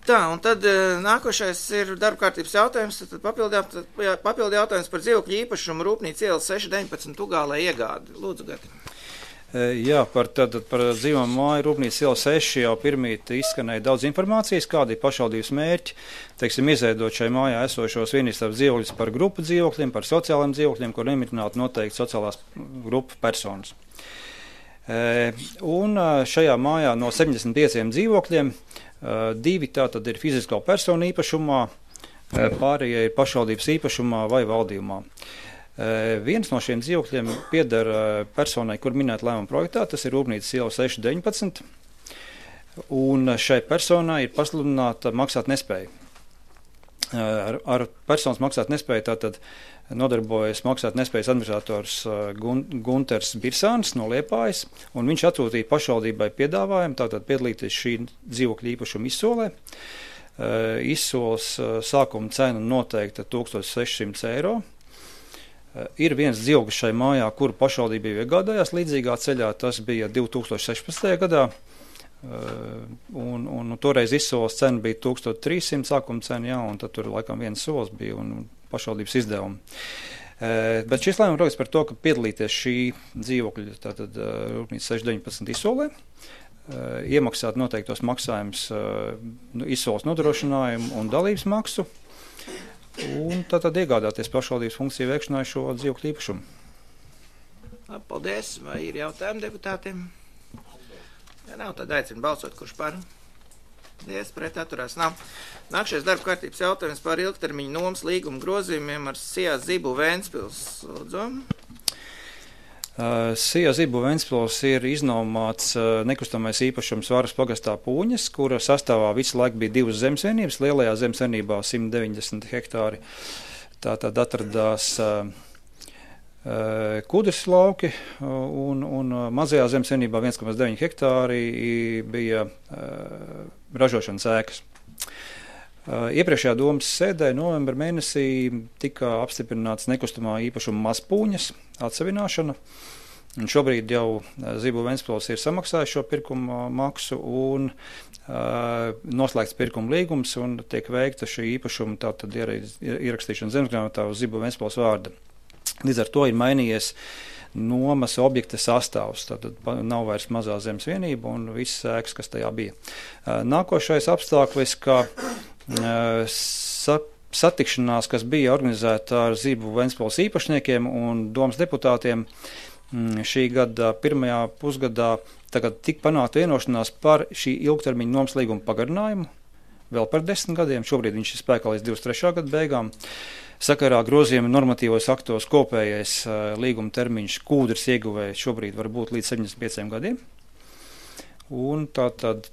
Tā, un tad nākošais ir darba kārtības jautājums, tad papildu jautājums par dzīvokļu īpašumu Rūpnīca ielas 619 Ugālē iegādi. Lūdzu, Gati. Jā, par dzīvām māju Rūpnīca ielas 6 jau pirmīt izskanēja daudz informācijas, kādi ir pašvaldības mērķi, teiksim, izveidot šai mājā esošos vienistabas dzīvokļus par grupu dzīvokļiem, par sociāliem dzīvokļiem, kur nemitinātu noteikti sociālās grupu personas. Un šajā mājā no 75 dzīvokļiem 2 tātad ir fizisko personu īpašumā, pārējie ir pašvaldības īpašumā vai valdījumā. Viens no šiem dzīvokļiem pieder personai, kur minēt lēmuma projektā, tas ir Rūpnīcas iela 619, un šai personai ir pasludināta maksāt nespēja. Ar personas maksāt nespēju tātad nodarbojas maksāt nespējas administrators Gunters Birsāns no Liepājas, un viņš atsūtīja pašvaldībai piedāvājumu tātad piedalīties šī dzīvokļa īpašuma izsolē. Izsoles sākuma cena noteikta 1600 eiro. Ir viens dzīvoklis šai mājā, kuru pašvaldība jau iegādājās līdzīgā ceļā, tas bija 2016. gadā. Un toreiz izsoles cena bija 1300 sākuma cena, jā, un tad tur laikam viens solis bija un pašvaldības izdevumi. Bet šis lēmums projekts par to, ka piedalīties šī dzīvokļa, tātad Rūpnīca 619 izsolē, iemaksāt noteiktos maksājumus, izsoles nodrošinājumu un dalības maksu, un tātad iegādāties pašvaldības funkciju veikšanai šo dzīvokļu īpašumu. Paldies. Vai ir jautājumi deputātiem? Ja nav, tad aicinu balsot, kurš par. Paldies, pret atturās nav. Nākšais darba kārtības jautājums par ilgtermiņu nomas līguma grozījumiem ar Sijā Zibu Ventspils. Lūdzu. Sijā Zibu Ventspils ir iznomāts nekustamais īpašums Varas pagastā Pūņas, kura sastāvā visu laiku bija 2 zemesvienības. Lielajā zemesvienībā 190 hektāri. Tātad atradās Kudras lauki un mazajā zemesvienībā 1,9 hektāri bija ražošanas ēkas. Iepriekšējā domas sēdē novembra mēnesī tika apstiprināts nekustamā īpašuma Mazpūņas atsevināšana. Un šobrīd jau Zibu Ventspils ir samaksājis šo pirkuma maksu un noslēgts pirkuma līgums un tiek veikta šī īpašuma tātad ierakstīšana zemesgrāmatā uz Zibu Ventspils vārda. Līdz ar to ir mainījies nomas objekta sastāvs, tātad nav vairs mazā zemes vienība un visas ēkas, kas tajā bija. Nākošais apstākļis, ka satikšanās, kas bija organizēta ar Zibu Ventspils īpašniekiem un domas deputātiem šī gada pirmajā pusgadā, tagad tika panākt vienošanās par šī ilgtermiņa nomas līguma pagarinājumu vēl par 10 gadiem. Šobrīd viņš ir spēkā līdz 23. gada beigām. Sakarā grozījuma normatīvos aktos kopējais līguma termiņš kūdras ieguvēja šobrīd var būt līdz 75 gadiem. Un tātad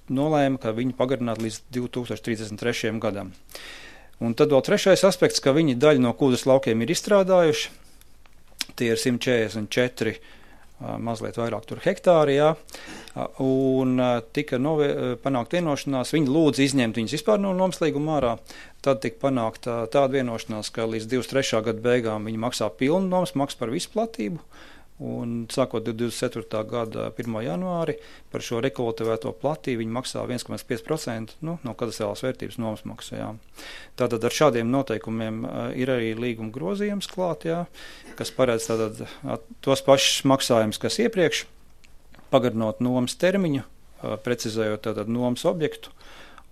nolēma, ka viņi pagarināt līdz 2033. gadam. Un tad vēl trešais aspekts, ka viņi daļu no kūdras laukiem ir izstrādājuši. Tie ir 144 mazliet vairāk tur hektāri, jā, un tika panākt vienošanās, viņi lūdza izņemt viņus vispār no nomas līguma ārā, tad tika panākt tāda vienošanās, ka līdz 23. gada beigām viņi maksā pilnu nomas maksu par visu platību, un sākot 24. gada 1. janvāri par šo rekultivēto platību viņi maksā 1,5% no kadastrālās vērtības nomas maksu, jā. Tātad ar šādiem noteikumiem ir arī līguma grozījums klāt, jā, kas paredz tātad tos pašus maksājumus, kas iepriekš, pagarinot nomas termiņu, precizējot tātad nomas objektu,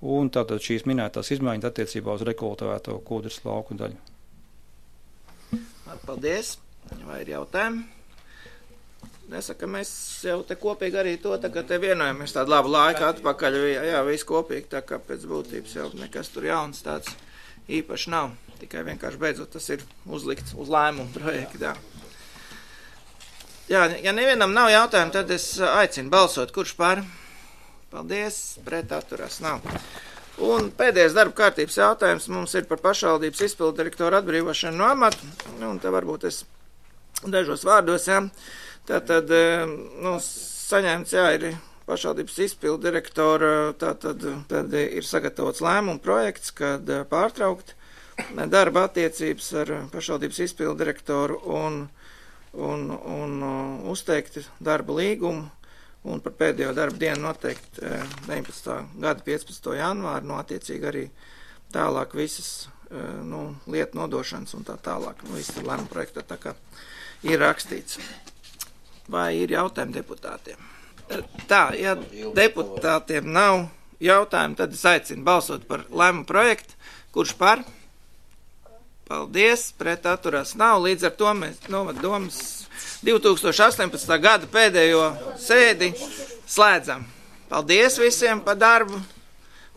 un tātad šīs minētās izmaiņas attiecībā uz rekultivēto kūdras lauku daļu. Paldies. Vai ir jautājumi? Nesaka, mēs jau te kopīgi arī to tagad te vienojamies tādu labu laiku atpakaļ, jā, visu kopīgi, tā kā pēc būtības jau nekas tur jauns tāds īpaši nav, tikai vienkārši beidzot tas ir uzlikts uz lēmumu projektā. Jā, ja nevienam nav jautājumu, tad es aicinu balsot, kurš par. Paldies, pret atturās nav. Un pēdējais darba kārtības jautājums mums ir par pašvaldības izpildu direktoru atbrīvošanu no amata. Un te varbūt es dažos vārdos, jā. Tātad, saņēmts, jā, ir pašvaldības izpildu direktora, tad ir sagatavots lēmumu projekts, kad pārtraukt darba attiecības ar pašvaldības izpildu direktoru un uzteikt darba līgumu. Un par pēdējo darba dienu noteikti 19. gada 15. janvāru, attiecīgi arī tālāk visas lietu nodošanas un tā tālāk. Viss ir lēmuma projektā, tā kā ir rakstīts. Vai ir jautājumi deputātiem? Tā, ja deputātiem nav jautājumu, tad es aicinu balsot par lēmuma projektu. Kurš par? Paldies, pret atturās nav. Līdz ar to mēs novaddomas 2018. gada pēdējo sēdi slēdzam. Paldies visiem par darbu.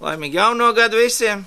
Laimīgi jauno gadu visiem.